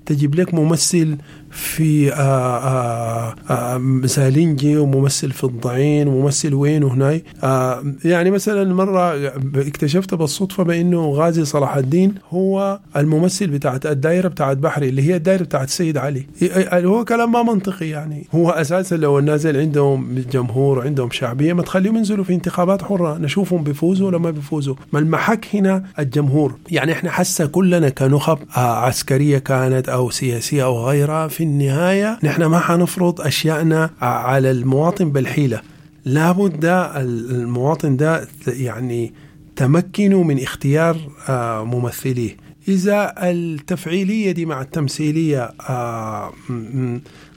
تجيب لك ممثل في زالينجي وممثل في الضعين وممثل وين وهناي. يعني مثلا مرة اكتشفت بالصدفة بأنه غازي صلاح الدين هو الممثل بتاعت الدائرة بتاعت بحري اللي هي الدائرة بتاعت السيد علي. هو كلام ما منطقي. يعني هو أساسا لو الناس عندهم جمهور وعندهم شعبية ما تخليهم ينزلوا في انتخابات حرة نشوفهم بيفوزوا ولا ما بيفوزوا. ما المحك هنا الجمهور. يعني احنا حاسة كلنا كنخب عسكرية كانت أو سياسية أو غيرها، في النهاية نحن ما حنفرض أشياءنا على المواطن بالحيلة. لابد المواطن ده يعني تمكنوا من اختيار ممثليه. إذا التفعيلية دي مع التمثيلية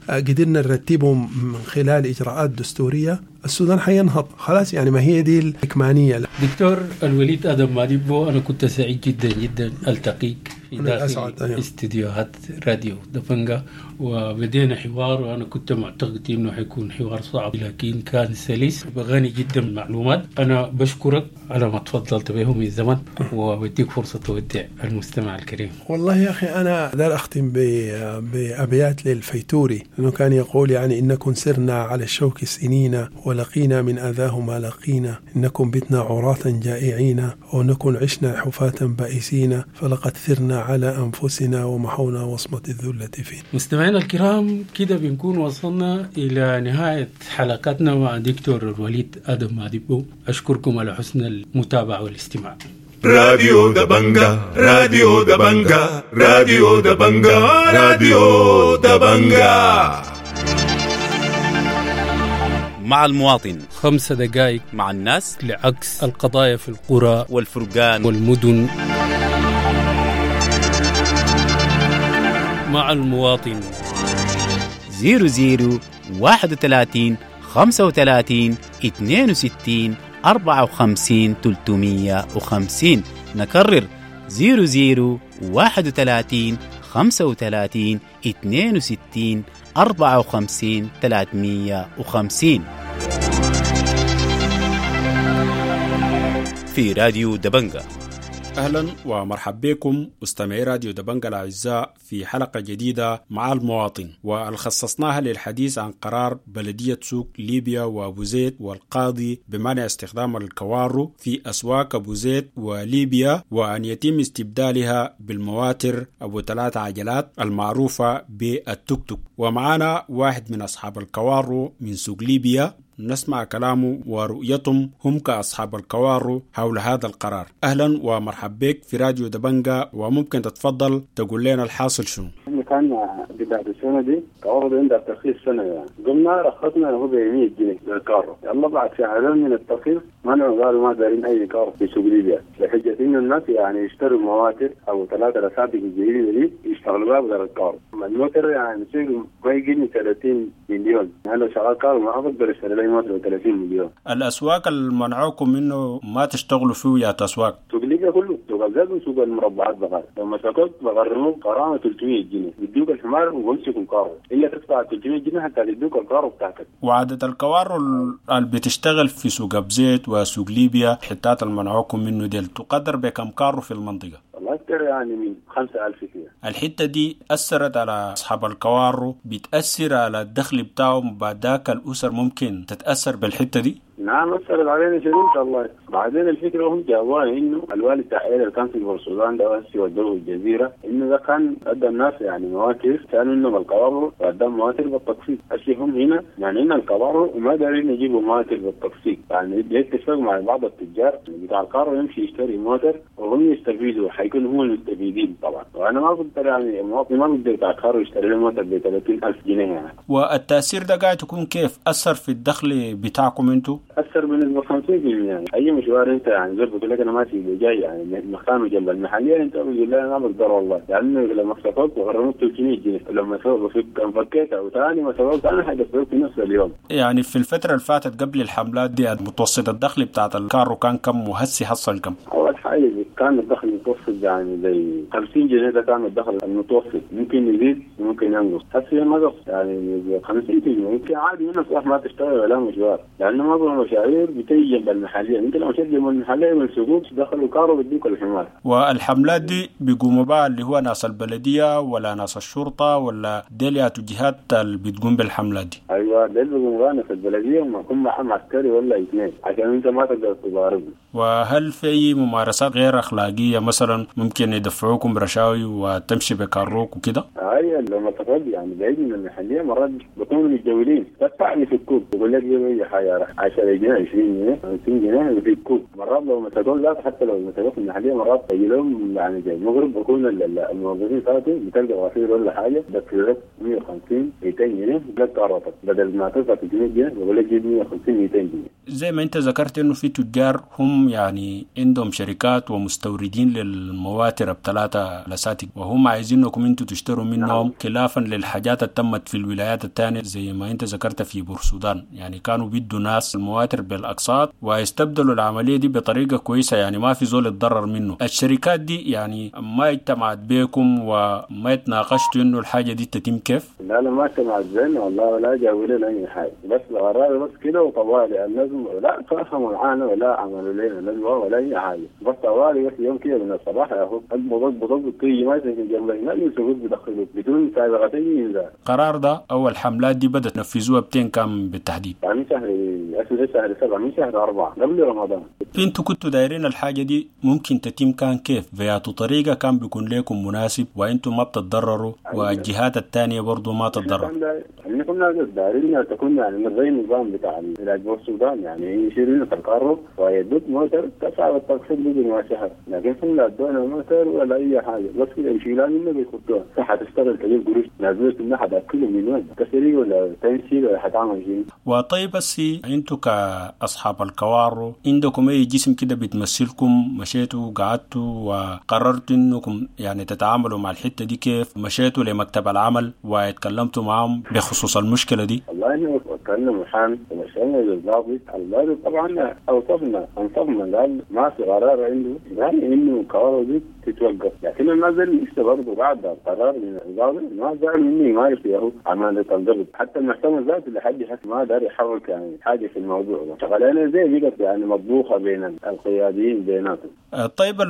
قدرنا نرتبهم من خلال إجراءات دستورية، السودان حينهض خلاص. يعني ما هي دي الإكمانية. دكتور الوليد آدم مادبو، أنا كنت سعيد جدا جدا ألتقيك في داخل استديوهات راديو دبنجا، وبدينا حوار، وأنا كنت معتقد إنه حيكون حوار صعب لكن كان سلس وغني جدا بالمعلومات. أنا بشكرك على ما تفضلت به من زمن، وبديك فرصة تودع المستمع الكريم. والله يا أخي أنا دار أختم بأبيات للفيتوري، لأنه كان يقول يعني إنكم سرنا على الشوك سنين ولقينا من أذاه ما لقينا، إنكم بتنا عراة جائعين ونكن عشنا حفاة بائسين، فلقد ثرنا على أنفسنا ومحونا وصمة الذلة فينا. مستمعينا الكرام، كده بنكون وصلنا إلى نهاية حلقتنا مع دكتور الوليد آدم مادبو. أشكركم على حسن المتابعة والاستماع. راديو دبنجا، راديو دبنجا، راديو دبنجا، راديو دبنجا. مع المواطن 5 دقائق مع الناس لعكس القضايا في القرى والفرقان والمدن. مع المواطن 00 31 35 62 54 350. نكرر 00 31 35 62 54 350 في راديو دبنجا. أهلا ومرحبا بكم مستمعي راديو دبنجا الأعزاء في حلقة جديدة مع المواطن، والخصصناها للحديث عن قرار بلدية سوق ليبيا وأبو زيد والقاضي بمنع استخدام الكوارو في أسواق أبو زيد وليبيا، وأن يتم استبدالها بالمواتر أبو 3 عجلات المعروفة بالتوك توك. ومعنا واحد من أصحاب الكوارو من سوق ليبيا، نسمع كلامه ورؤيتهم هم كأصحاب الكوارو حول هذا القرار. أهلا ومرحبا بك في راديو دبنجا، وممكن تتفضل تقول لنا الحاصل شنو؟ كان بداية السنة دي كوارو عندها ترخيص سنة يعني، قمنا رخصنا هو ب 100 جنيه للكارو. يلا بعد شهرين من الترخيص منعوا، قالوا ما دارين أي كارو في سوق ليبيا، لحجة إنه الناس يعني يشتروا مواتر أو 3 لساتك الجديدة دي يشتغلوا بها بدل الكارو. الموتر يعني سوق ما يجيني 30 مليون، أنا لو شغال كارو ما أقدر أشتري لي موتر 30 مليون. الأسواق اللي منعوكم منه ما تشتغلوا فيه يا أسواق؟ سوق ليبيا كله، سوق الزاد وسوق المربعات بغار، لما سكت بغرموك غرامة 300 جنيه، بيدوك الحمار وبمسكوا الكارو، إلا تدفع 300 جنيه حتى يدوك الكارو بتاعتك. وعدد الكوارو اللي بتشتغل في سوق أبزيت وسوق ليبيا حتات المنعوكم منه ديل تقدر بكم كارو في المنطقة؟ والله أكثر يعني من 5000 كده. الحتة دي أثرت على أصحاب الكوارو، بتأثر على الدخل بتاعهم، بعد ذاك الأسر ممكن تتأثر بالحتة دي؟ نعم أثرت علينا شديد والله. بعدين الفكرة هم جابوها إنه الوالي بتاع اللي كان في السودان ده وهسي ودوه الجزيرة، إنه ده كان أدى الناس يعني مواتر، كانوا إنهم الكوارو وأدى مواتر بالتقسيط. هسي هم هنا يعني إن الكوارو وما دارين يجيبوا مواتر بالتقسيط، يعني يتفق مع بعض التجار بتاع الكارو يمشي يشتري موتر وهم يستفيدوا، حيكونوا هم المستفيدين طبعا. وأنا ما بقدر يعني المواطن ما بقدر بتاع الكارو يشتري له موتر ب 30,000 جنيه يعني. والتأثير ده قاعد يكون كيف؟ أثر في الدخل بتاعكم أنتوا؟ أثر بنسبة 50% يعني. أي مشوار أنت يعني زي بقول لك أنا ماشي جاي يعني مكانه جنب المحلية، أنت بتقول لي أنا ما بقدر والله، لأنه يعني لما سافرت وغرمت 300 جنيه، لما فكيت أو ثاني ما سافرت أنا حدفعت في نفس اليوم. يعني في الفترة اللي فاتت قبل الحملات دي متوسط الدخل بتاعت الكارو كان كم وهسي حصل كم؟ أول حاجة كان الدخل المتوسط يعني زي 50 جنيه، ده كان الدخل المتوسط، ممكن يزيد وممكن ينقص. هسي نقص يعني 50%، ممكن عادي من الصباح ما تشتغل ولا مشوار، لأنه ما مشاوير بتيجي جنب المحلية، انت لو مشيت جنب المحلية من السوق دخلوا كارو بديك الحمار. والحملات دي بيقوموا بقى اللي هو ناس البلدية ولا ناس الشرطة ولا ديل جهات اللي بتقوم بالحملات دي؟ ايوه ديل بيقوموا بقى ناس البلدية، وما يكون معهم عسكري ولا 2 عشان انت ما تقدر تضاربهم. وهل في ممارسات غير أخلاقية مثلا ممكن يدفعوكم رشاوي وتمشي بكاروك وكده؟ ايوه لما تفضل يعني بعيد من المحلية مرات بيكونوا متجولين، تدفع يفكوك يقول لك جيب اي حاجة 10 جنيه 20 جنيه 50 جنيه يفكوك. مرات لو مسكوك لا، حتى لو مسكوك في المحلية مرات تجي لهم يعني زي المغرب بكون الموظفين فاتوا بتلقى غفير ولا حاجة دفع لك 150 200 جنيه لك كاروتك، بدل ما تدفع 300 جنيه بقول لك جيب 150 200 جنيه. زي ما انت ذكرت انه في تجار هم يعني عندهم شركات ومستوردين للمواتر ب3 لساتك، وهم عايزينكم انتوا تشتروا منهم خلافا للحاجات اللي تمت في الولايات الثانية زي ما انت ذكرت في بورسودان، يعني كانوا بيدوا ناس المواتر بالاقساط ويستبدلوا العملية دي بطريقة كويسة، يعني ما في زول اتضرر منه. الشركات دي يعني ما اجتمعت بيكم وما اتناقشتوا انه الحاجة دي تتم كيف؟ لا لا ما اجتمعت بينا والله ولا جابوا لنا اي حاجة، بس قرار بس كده وطوالي الناس لا تفهموا معانا ولا عملوا لنا ندوه ولا اي حاجة، بس طوالي بس يوم كده من الصباح يا هو اقبض اقبض تيجي ما في جنب هناك يمسكوك بيدخلوك بدون سابقة انذار. القرار ده او الحملات دي بدأت تنفذوها بتين كام بالتحديد؟ يعني شهر 7 من شهر 4 قبل رمضان. انتوا كنتوا دايرين الحاجة دي ممكن تتم كان كيف؟ بياتو طريقة كان بيكون لكم مناسب وانتم ما بتتضرروا والجهات الثانية برضو ما تتضرر. احنا كنا دايرين تكون يعني زي النظام بتاع العلاج السودان، يعني يشيلوا لنا الكارو ويدوك موتر تدفع بالتقسيط بدون ما شهر، لكن هم لا ادونا موتر ولا اي حاجة، بس كده يشيلوها منا بيحطوها، حتشتغل تجيب قروش نازلة منها حتاكلهم من وين؟ تسريق ولا تنسيق ولا حتعمل شيء. وطيب بس انتوا كاصحاب الكوارو عندكم اي جسم كده بتمثلكم؟ مشيتوا قعدتوا وقررتوا انكم يعني تتعاملوا مع الحتة دي كيف؟ مشيتوا لمكتب العمل واتكلمتوا معهم بخصوص المشكلة دي؟ والله احنا وكلنا محامي ومشينا للضابط، الضابط طبعا اوصفنا انصفنا قال ما في قرار عنده يعني انه الكوارو دي تتوقف، لكن الناس لسه برضه بعد القرار من الضابط ما زعلوا مني ما يفيه عمالة الضبط، حتى المحكمة ذاته لحد حس ما دار يحرك يعني حاجة في الموضوع ده، شغلانة زي بقت يعني مطبوخه بين القياديين بيناتهم. طيب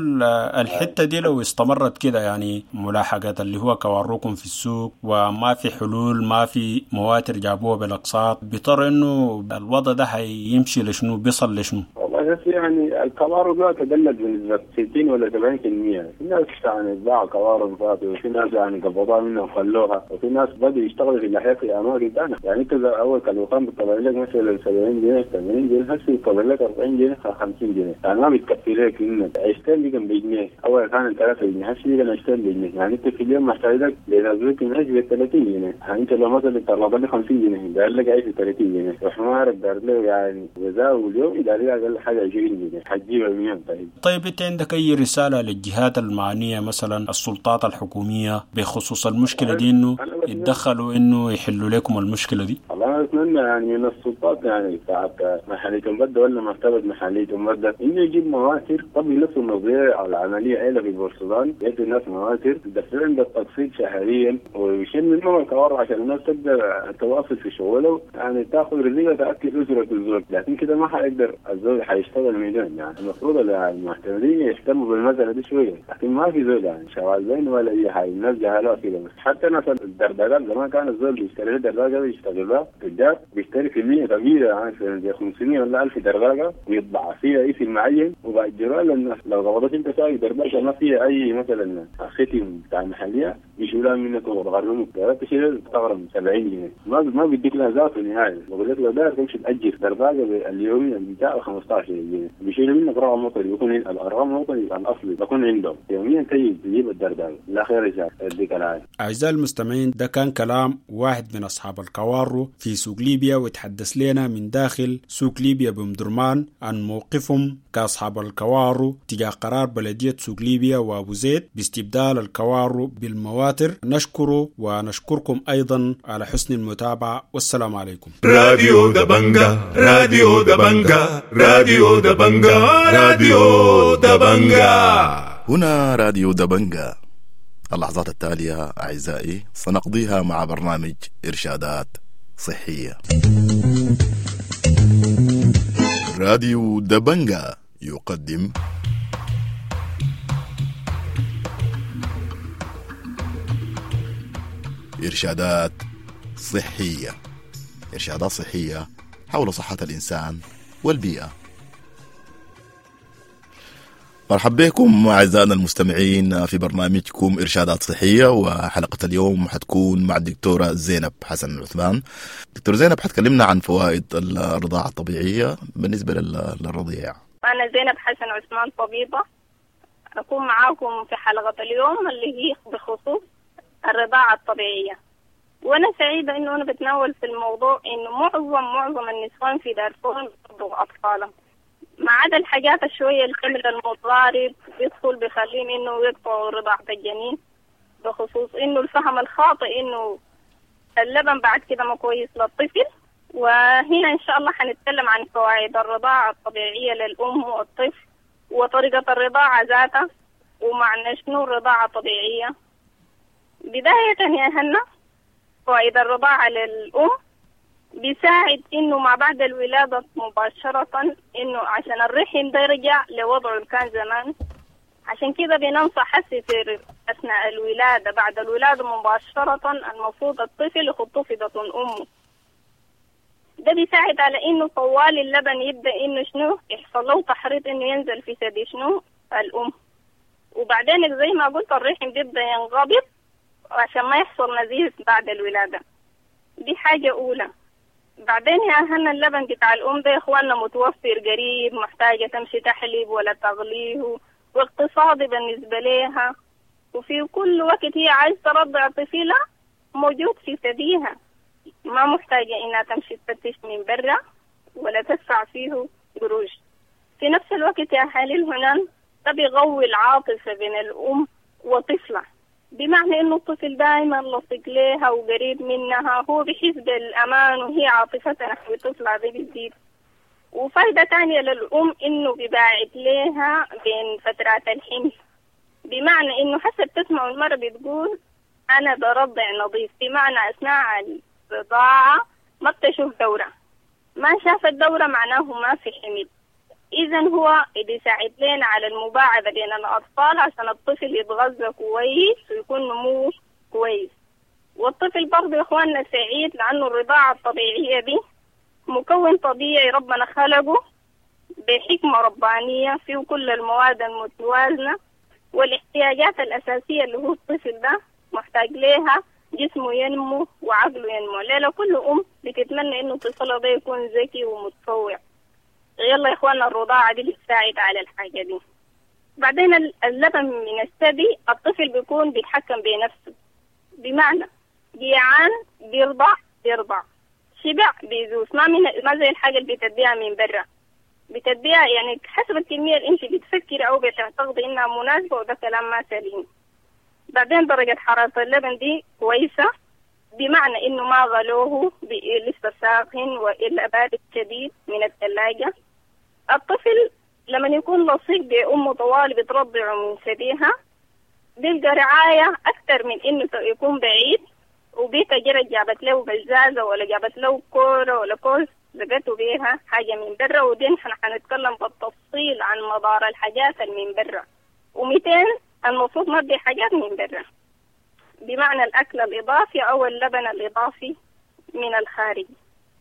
الحتة دي لو استمرت كده يعني ملاحقه اللي هو كواروكم في السوق وما في حلول، ما في مواتر جابوها بالاقساط، بيضطر انه الوضع ده حيمشي لشنو؟ بيصل لشنو؟ والله بس يعني الكوارو ده تدلت بنسبة 60 ولا 70%، في ناس يعني باعوا كوارو فاتوا، وفي ناس يعني قبضوها منها وخلوها، وفي ناس بدوا يشتغلوا في الناحية في اماكن ثانية، يعني انت اول كان الوطن بتطلع لك مثلا 70 جنيه 80 جنيه، هسه بتطلع لك 40 جنيه 50 جنيه، يعني ما بتكفي لك انك عيشتين بقى بجنيه، اول كان 3 جنيه هسه بقى عيشتين بجنيه، يعني انت في اليوم محتاج لك لنزلك من عيش ب 30 جنيه، يعني انت لو مثلا طلبت لك 50 جنيه داير لك عيش ب 30 جنيه، وحمارك داير له يعني غذاء واليوم داير لك اقل حاجة 20 جنيه، حتجيبها منين طيب؟ طيب انت عندك اي رسالة للجهات المعنية مثلا السلطات الحكومية بخصوص المشكلة دي انه يتدخلوا انه يحلوا لكم المشكلة دي؟ والله انا اتمنى يعني من السلطات يعني بتاعت محليه مبدا ولا مكتبه محليه مبدا انه يجيب مواتر، طب يلفوا النظرية على العملية عيله في بورسودان، يدوا الناس مواتر يدفعوا بالتقسيط شهريا ويشيل منهم الكوارع عشان الناس تقدر تواصل في شغله، يعني تاخذ رزقها تاكل اسره الزول، لكن كده ما حيقدر الزول حيشتغل ميدان، يعني المفروض المعتمدين يهتموا بالمسالة دي شوية، لكن ما في زول يعني شغال زين ولا اي حاجة، الناس جهلوها كده بس. حتى ناس الدردقات زمان كان الزول بيشتري دردقه بيشتغلها تجار بيشتري كمية كبيرة يعني زي 500 ولا 1000 دردقه ويطبع فيها اسم معين وبأجروها للناس، لو قبضت انت سايق دردقه ما فيها اي مثلا ختم بتاع المحلية يشيلوها منك ويغرموك، تشيل تغرم 70 جنيه ما بيديك لها ذاته نهائي، بقول لك لو داير تمشي تاجر دردقه اليومية بتاع 15 جنيه بيشيلوا منك رقم وطني، بيكون الارقام الوطني الاصلي بيكون عندهم يوميا تجي تجيب الدردقه. لا خير ان شاء الله، يديك العافية. اعزائي المستمعين، ده كان كلام واحد من اصحاب الكوارو في سوق ليبيا، وتحدث لنا من داخل سوق ليبيا بمدرمان عن موقفهم كاصحاب الكوارو تجاه قرار بلديه سوق ليبيا وابو زيد باستبدال الكوارو بالمواتر. نشكره ونشكركم ايضا على حسن المتابعة، والسلام عليكم. راديو دبنجا، راديو دبنجا، راديو دبنجا، راديو دبنجا. هنا راديو دبنجا. اللحظات التالية أعزائي سنقضيها مع برنامج إرشادات صحية. راديو دبنجا يقدم إرشادات صحية، إرشادات صحية حول صحة الإنسان والبيئة. مرحبا بكم أعزائنا المستمعين في برنامجكم إرشادات صحية، وحلقة اليوم حتكون مع الدكتورة زينب حسن عثمان. دكتور زينب حتكلمنا عن فوائد الرضاعة الطبيعية بالنسبة للرضيع. أنا زينب حسن عثمان طبيبة، أكون معاكم في حلقة اليوم اللي هي بخصوص الرضاعة الطبيعية. وأنا سعيدة إنه أنا بتناول في الموضوع إنه معظم النسوان في دارفور بيرضعوا أطفالهم، ما عدا الحاجات الشوية الحمل المتضارب بيدخل بيخليهم إنه يقطعوا رضاعة الجنين، بخصوص إنه الفهم الخاطئ إنه اللبن بعد كده ما كويس للطفل. وهنا إن شاء الله حنتكلم عن فوائد الرضاعة الطبيعية للأم والطفل وطريقة الرضاعة ذاتها ومعنى شنو الرضاعة الطبيعية. بداية يا هنا، فوائد الرضاعة للأم بيساعد إنه ما بعد الولادة مباشرة، إنه عشان الرحم ده يرجع لوضعه اللي كان زمان، عشان كده بننصح حسي في أثناء الولادة، بعد الولادة مباشرة المفروض الطفل يحطوه في بطن أمه. ده بيساعد على إنه طوال اللبن يبدأ إنه شنو يحصل له تحريض إنه ينزل في ثدي شنو الأم. وبعدين زي ما قلت الرحم بيبدأ ينقبض عشان ما يحصل نزيف بعد الولادة. دي حاجة أولى. بعدين يا أهلنا اللبن بتاع الأم ده يا إخواننا متوفر قريب، محتاجة تمشي تحليب ولا تغليه، واقتصادي بالنسبة لها، وفي كل وقت هي عايز ترضع طفلها موجود في ثديها، ما محتاجة إنها تمشي تفتش من برا ولا تدفع فيه قروش. في نفس الوقت يا حليل هنا ده بيقوي العاطفة بين الأم وطفلها، بمعنى إنه الطفل دائما لصق لها وقريب منها، هو بيحس بالأمان وهي عاطفتها نحو طفلها دي بتزيد. وفايدة تانية للأم إنه بيباعد لها بين فترات الحمل، بمعنى إنه حسب تسمع المرة بتقول أنا برضع نظيف، بمعنى أثناء الرضاعة ما بتشوف دورة، ما شافت دورة معناه ما في حمل. إذا هو بيساعد لنا على المباعدة بين الأطفال عشان الطفل يتغذى كويس ويكون نموه كويس. والطفل برضه يا إخواننا سعيد لأنه الرضاعة الطبيعية دي مكون طبيعي ربنا خلقه بحكمة ربانية، فيه كل المواد المتوازنة والاحتياجات الأساسية اللي هو الطفل ده محتاج لها، جسمه ينمو وعقله ينمو. ليلة كل أم بتتمنى إنه طفلها ده يكون ذكي ومتفوق. يلا يا إخواننا الرضاعة دي بتساعد على الحاجة دي. بعدين اللبن من الثدي الطفل بيكون بيتحكم بنفسه، بمعنى جيعان بيرضع بيرضع، شبع بيزوس، ما زي الحاجة اللي بتديها من برا، بتديها يعني حسب الكمية اللي انت بتفكري او بتعتقدي انها مناسبة، وده كلام ما سليم. بعدين درجة حرارة اللبن دي كويسة، بمعنى انه ما غلوه لسه ساخن والا بارد شديد من الثلاجة. الطفل لما يكون لصيق بأمه طوال بترضعه من ثديها بيلقى رعاية أكثر من إنه يكون بعيد وبيتا جرت جابت له بزازة ولا جابت له كورة ولا كوز لقته بيها حاجة من برا. ودي نحن حنتكلم بالتفصيل عن مضار الحاجات اللي من برا. و200 المفروض ما بدي حاجات من برا، بمعنى الأكل الإضافي أو اللبن الإضافي من الخارج.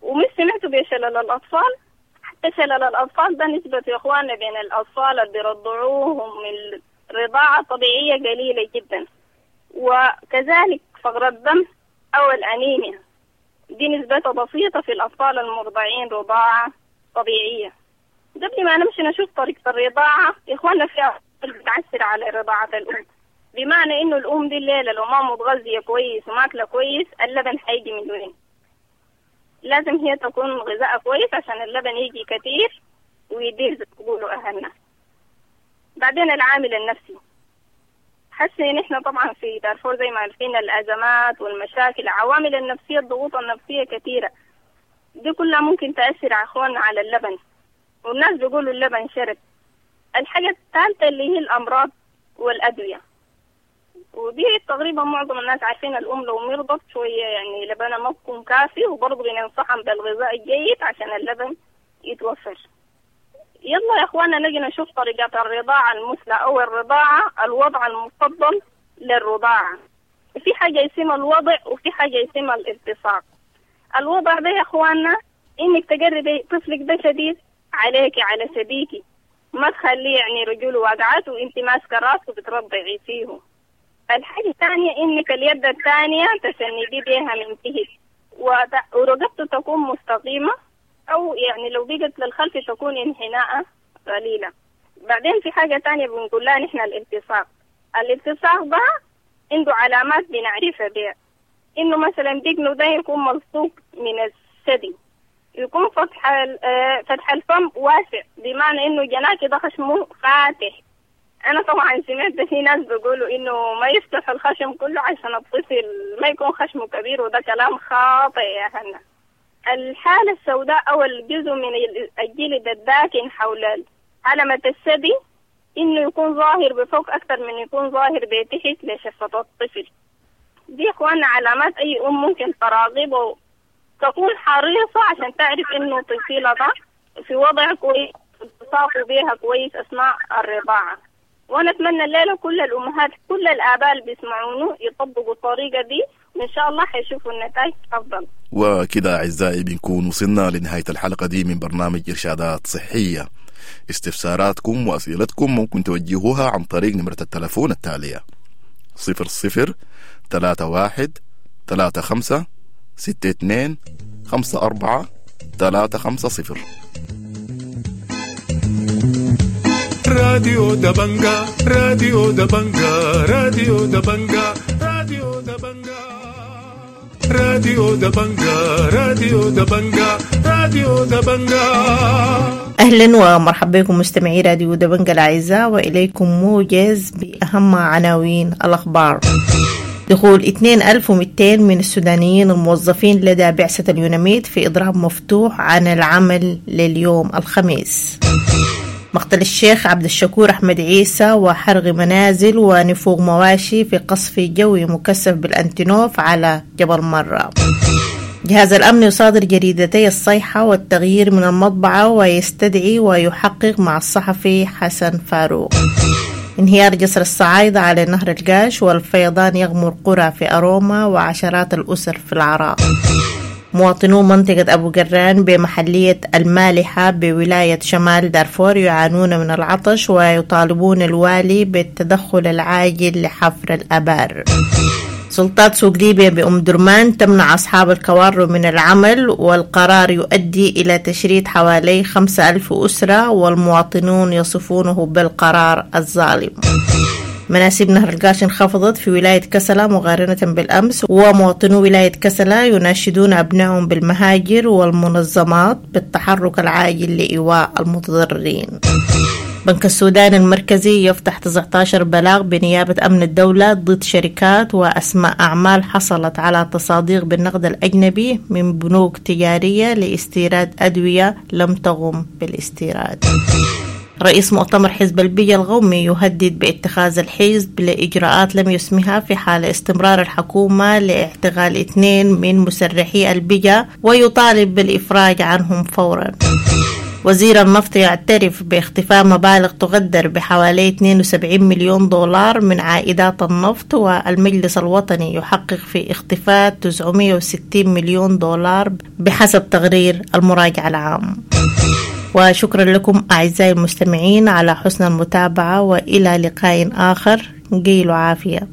ومش سمعتوا بشلل الأطفال؟ حتى شلل الأطفال ده نسبة يا إخواننا بين الأطفال اللي بيرضعوهم من الرضاعة الطبيعية قليلة جدا. وكذلك فقر الدم أو الأنيميا دي نسبتها بسيطة في الأطفال المرضعين رضاعة طبيعية. قبل ما نمشي نشوف طريقة الرضاعة يا إخواننا في أطفال بتعسر على رضاعة الأم، بمعنى إنه الأم دي الليلة لو ما متغذية كويس وماكلة كويس اللبن حيجي من وين؟ لازم هي تكون غذاء كويس عشان اللبن يجي كتير ويدير زي ما بيقولوا أهلنا. بعدين العامل النفسي، حاسة إن إحنا طبعا في دارفور زي ما عارفين الأزمات والمشاكل، العوامل النفسية الضغوط النفسية كثيرة، دي كلها ممكن تأثر على إخواننا على اللبن، والناس بيقولوا اللبن شرب. الحاجة الثالثة اللي هي الأمراض والأدوية، ودي تقريبا معظم الناس عارفين الأم لو مرضت شوية يعني لبنها ما بيكون كافي، وبرضه بننصحهم بالغذاء الجيد عشان اللبن يتوفر. يلا يا اخوانا نجي نشوف طريقة الرضاعة المثلى او الرضاعة الوضع المفضل للرضاعة. في حاجة اسمها الوضع وفي حاجة اسمها الالتصاق. الوضع ده يا اخوانا انك تقربي طفلك ده شديد عليك على ثديكي، ما تخليه يعني رجوله واقعات وانت ماسكة راسه بترضعي فيه. الحاجة الثانية انك اليد الثانية تسندي بيها من تحت، ورقبته تكون مستقيمة، أو يعني لو بقت للخلف تكون انحناء قليلة. بعدين في حاجة تانية بنقول لها نحن الالتصاق. الالتصاق ده عنده علامات بنعرفها بها، إنه مثلا دقنه ده يكون ملصوق من الثدي، يكون فتح الفم واسع، بمعنى إنه جناك ده خشمه فاتح. أنا طبعا سمعت في ناس بيقولوا إنه ما يفتح الخشم كله عشان الطفل ما يكون خشمه كبير، وده كلام خاطئ يا هنا. الحالة السوداء أو الجزء من الجلد الداكن حول علامة الثدي إنه يكون ظاهر بفوق أكثر من يكون ظاهر بتحت لشفة الطفل. دي إخواننا علامات أي أم ممكن تراقبه، تكون حريصة عشان تعرف إنه طفلها ده في وضع كويس، التصاقه بيها كويس أثناء الرضاعة. وانا اتمنى الليله كل الامهات كل الاباء اللي بيسمعونه يطبقوا الطريقه دي، وان شاء الله حيشوفوا النتائج افضل. وكده أعزائي بنكون وصلنا لنهاية الحلقة دي من برنامج إرشادات صحية. استفساراتكم وأسئلتكم ممكن توجهوها عن طريق نمرة التلفون التالية: 00 31 35 62 54 350. راديو دبنجا، راديو دبنجا، راديو دبنجا، راديو دبنجا، راديو دبنجا، راديو دبنجا، راديو دبنجا. أهلا ومرحبا بكم مستمعي راديو دبنجا الأعزاء، وإليكم موجز بأهم عناوين الأخبار. دخول 2200 من السودانيين الموظفين لدى بعثة اليوناميد في إضراب مفتوح عن العمل لليوم الخميس. مقتل الشيخ عبد الشكور أحمد عيسى وحرق منازل ونفوق مواشي في قصف جوي مكثف بالأنتينوف على جبل مرة. جهاز الأمن يصادر جريدتي الصيحة والتغيير من المطبعة ويستدعي ويحقق مع الصحفي حسن فاروق. انهيار جسر الصعايدة على نهر القاش والفيضان يغمر قرى في أروما وعشرات الأسر في العراء. مواطنو منطقة أبو قران بمحلية المالحة بولاية شمال دارفور يعانون من العطش ويطالبون الوالي بالتدخل العاجل لحفر الأبار. سلطات سوق ليبيا بأم درمان تمنع أصحاب الكوارو من العمل، والقرار يؤدي إلى تشريد حوالي 5000 أسرة، والمواطنون يصفونه بالقرار الظالم. مناسيب نهر القاش انخفضت في ولاية كسلا مقارنة بالأمس، ومواطنو ولاية كسلا يناشدون أبنائهم بالمهاجر والمنظمات بالتحرك العاجل لإيواء المتضررين. بنك السودان المركزي يفتح 19 بلاغ بنيابة أمن الدولة ضد شركات وأسماء أعمال حصلت على تصاديق بالنقد الأجنبي من بنوك تجارية لاستيراد أدوية لم تقم بالاستيراد. رئيس مؤتمر حزب البيئة القومي يهدد باتخاذ الحزب لإجراءات لم يسمها في حال استمرار الحكومة لاعتقال 2 من مسرحي البيئة، ويطالب بالإفراج عنهم فورا. وزير النفط يعترف باختفاء مبالغ تقدر بحوالي 72 مليون دولار من عائدات النفط، والمجلس الوطني يحقق في اختفاء 960 مليون دولار بحسب تقرير المراجع العام. وشكرا لكم أعزائي المستمعين على حسن المتابعة، وإلى لقاء آخر. قيلوا عافية.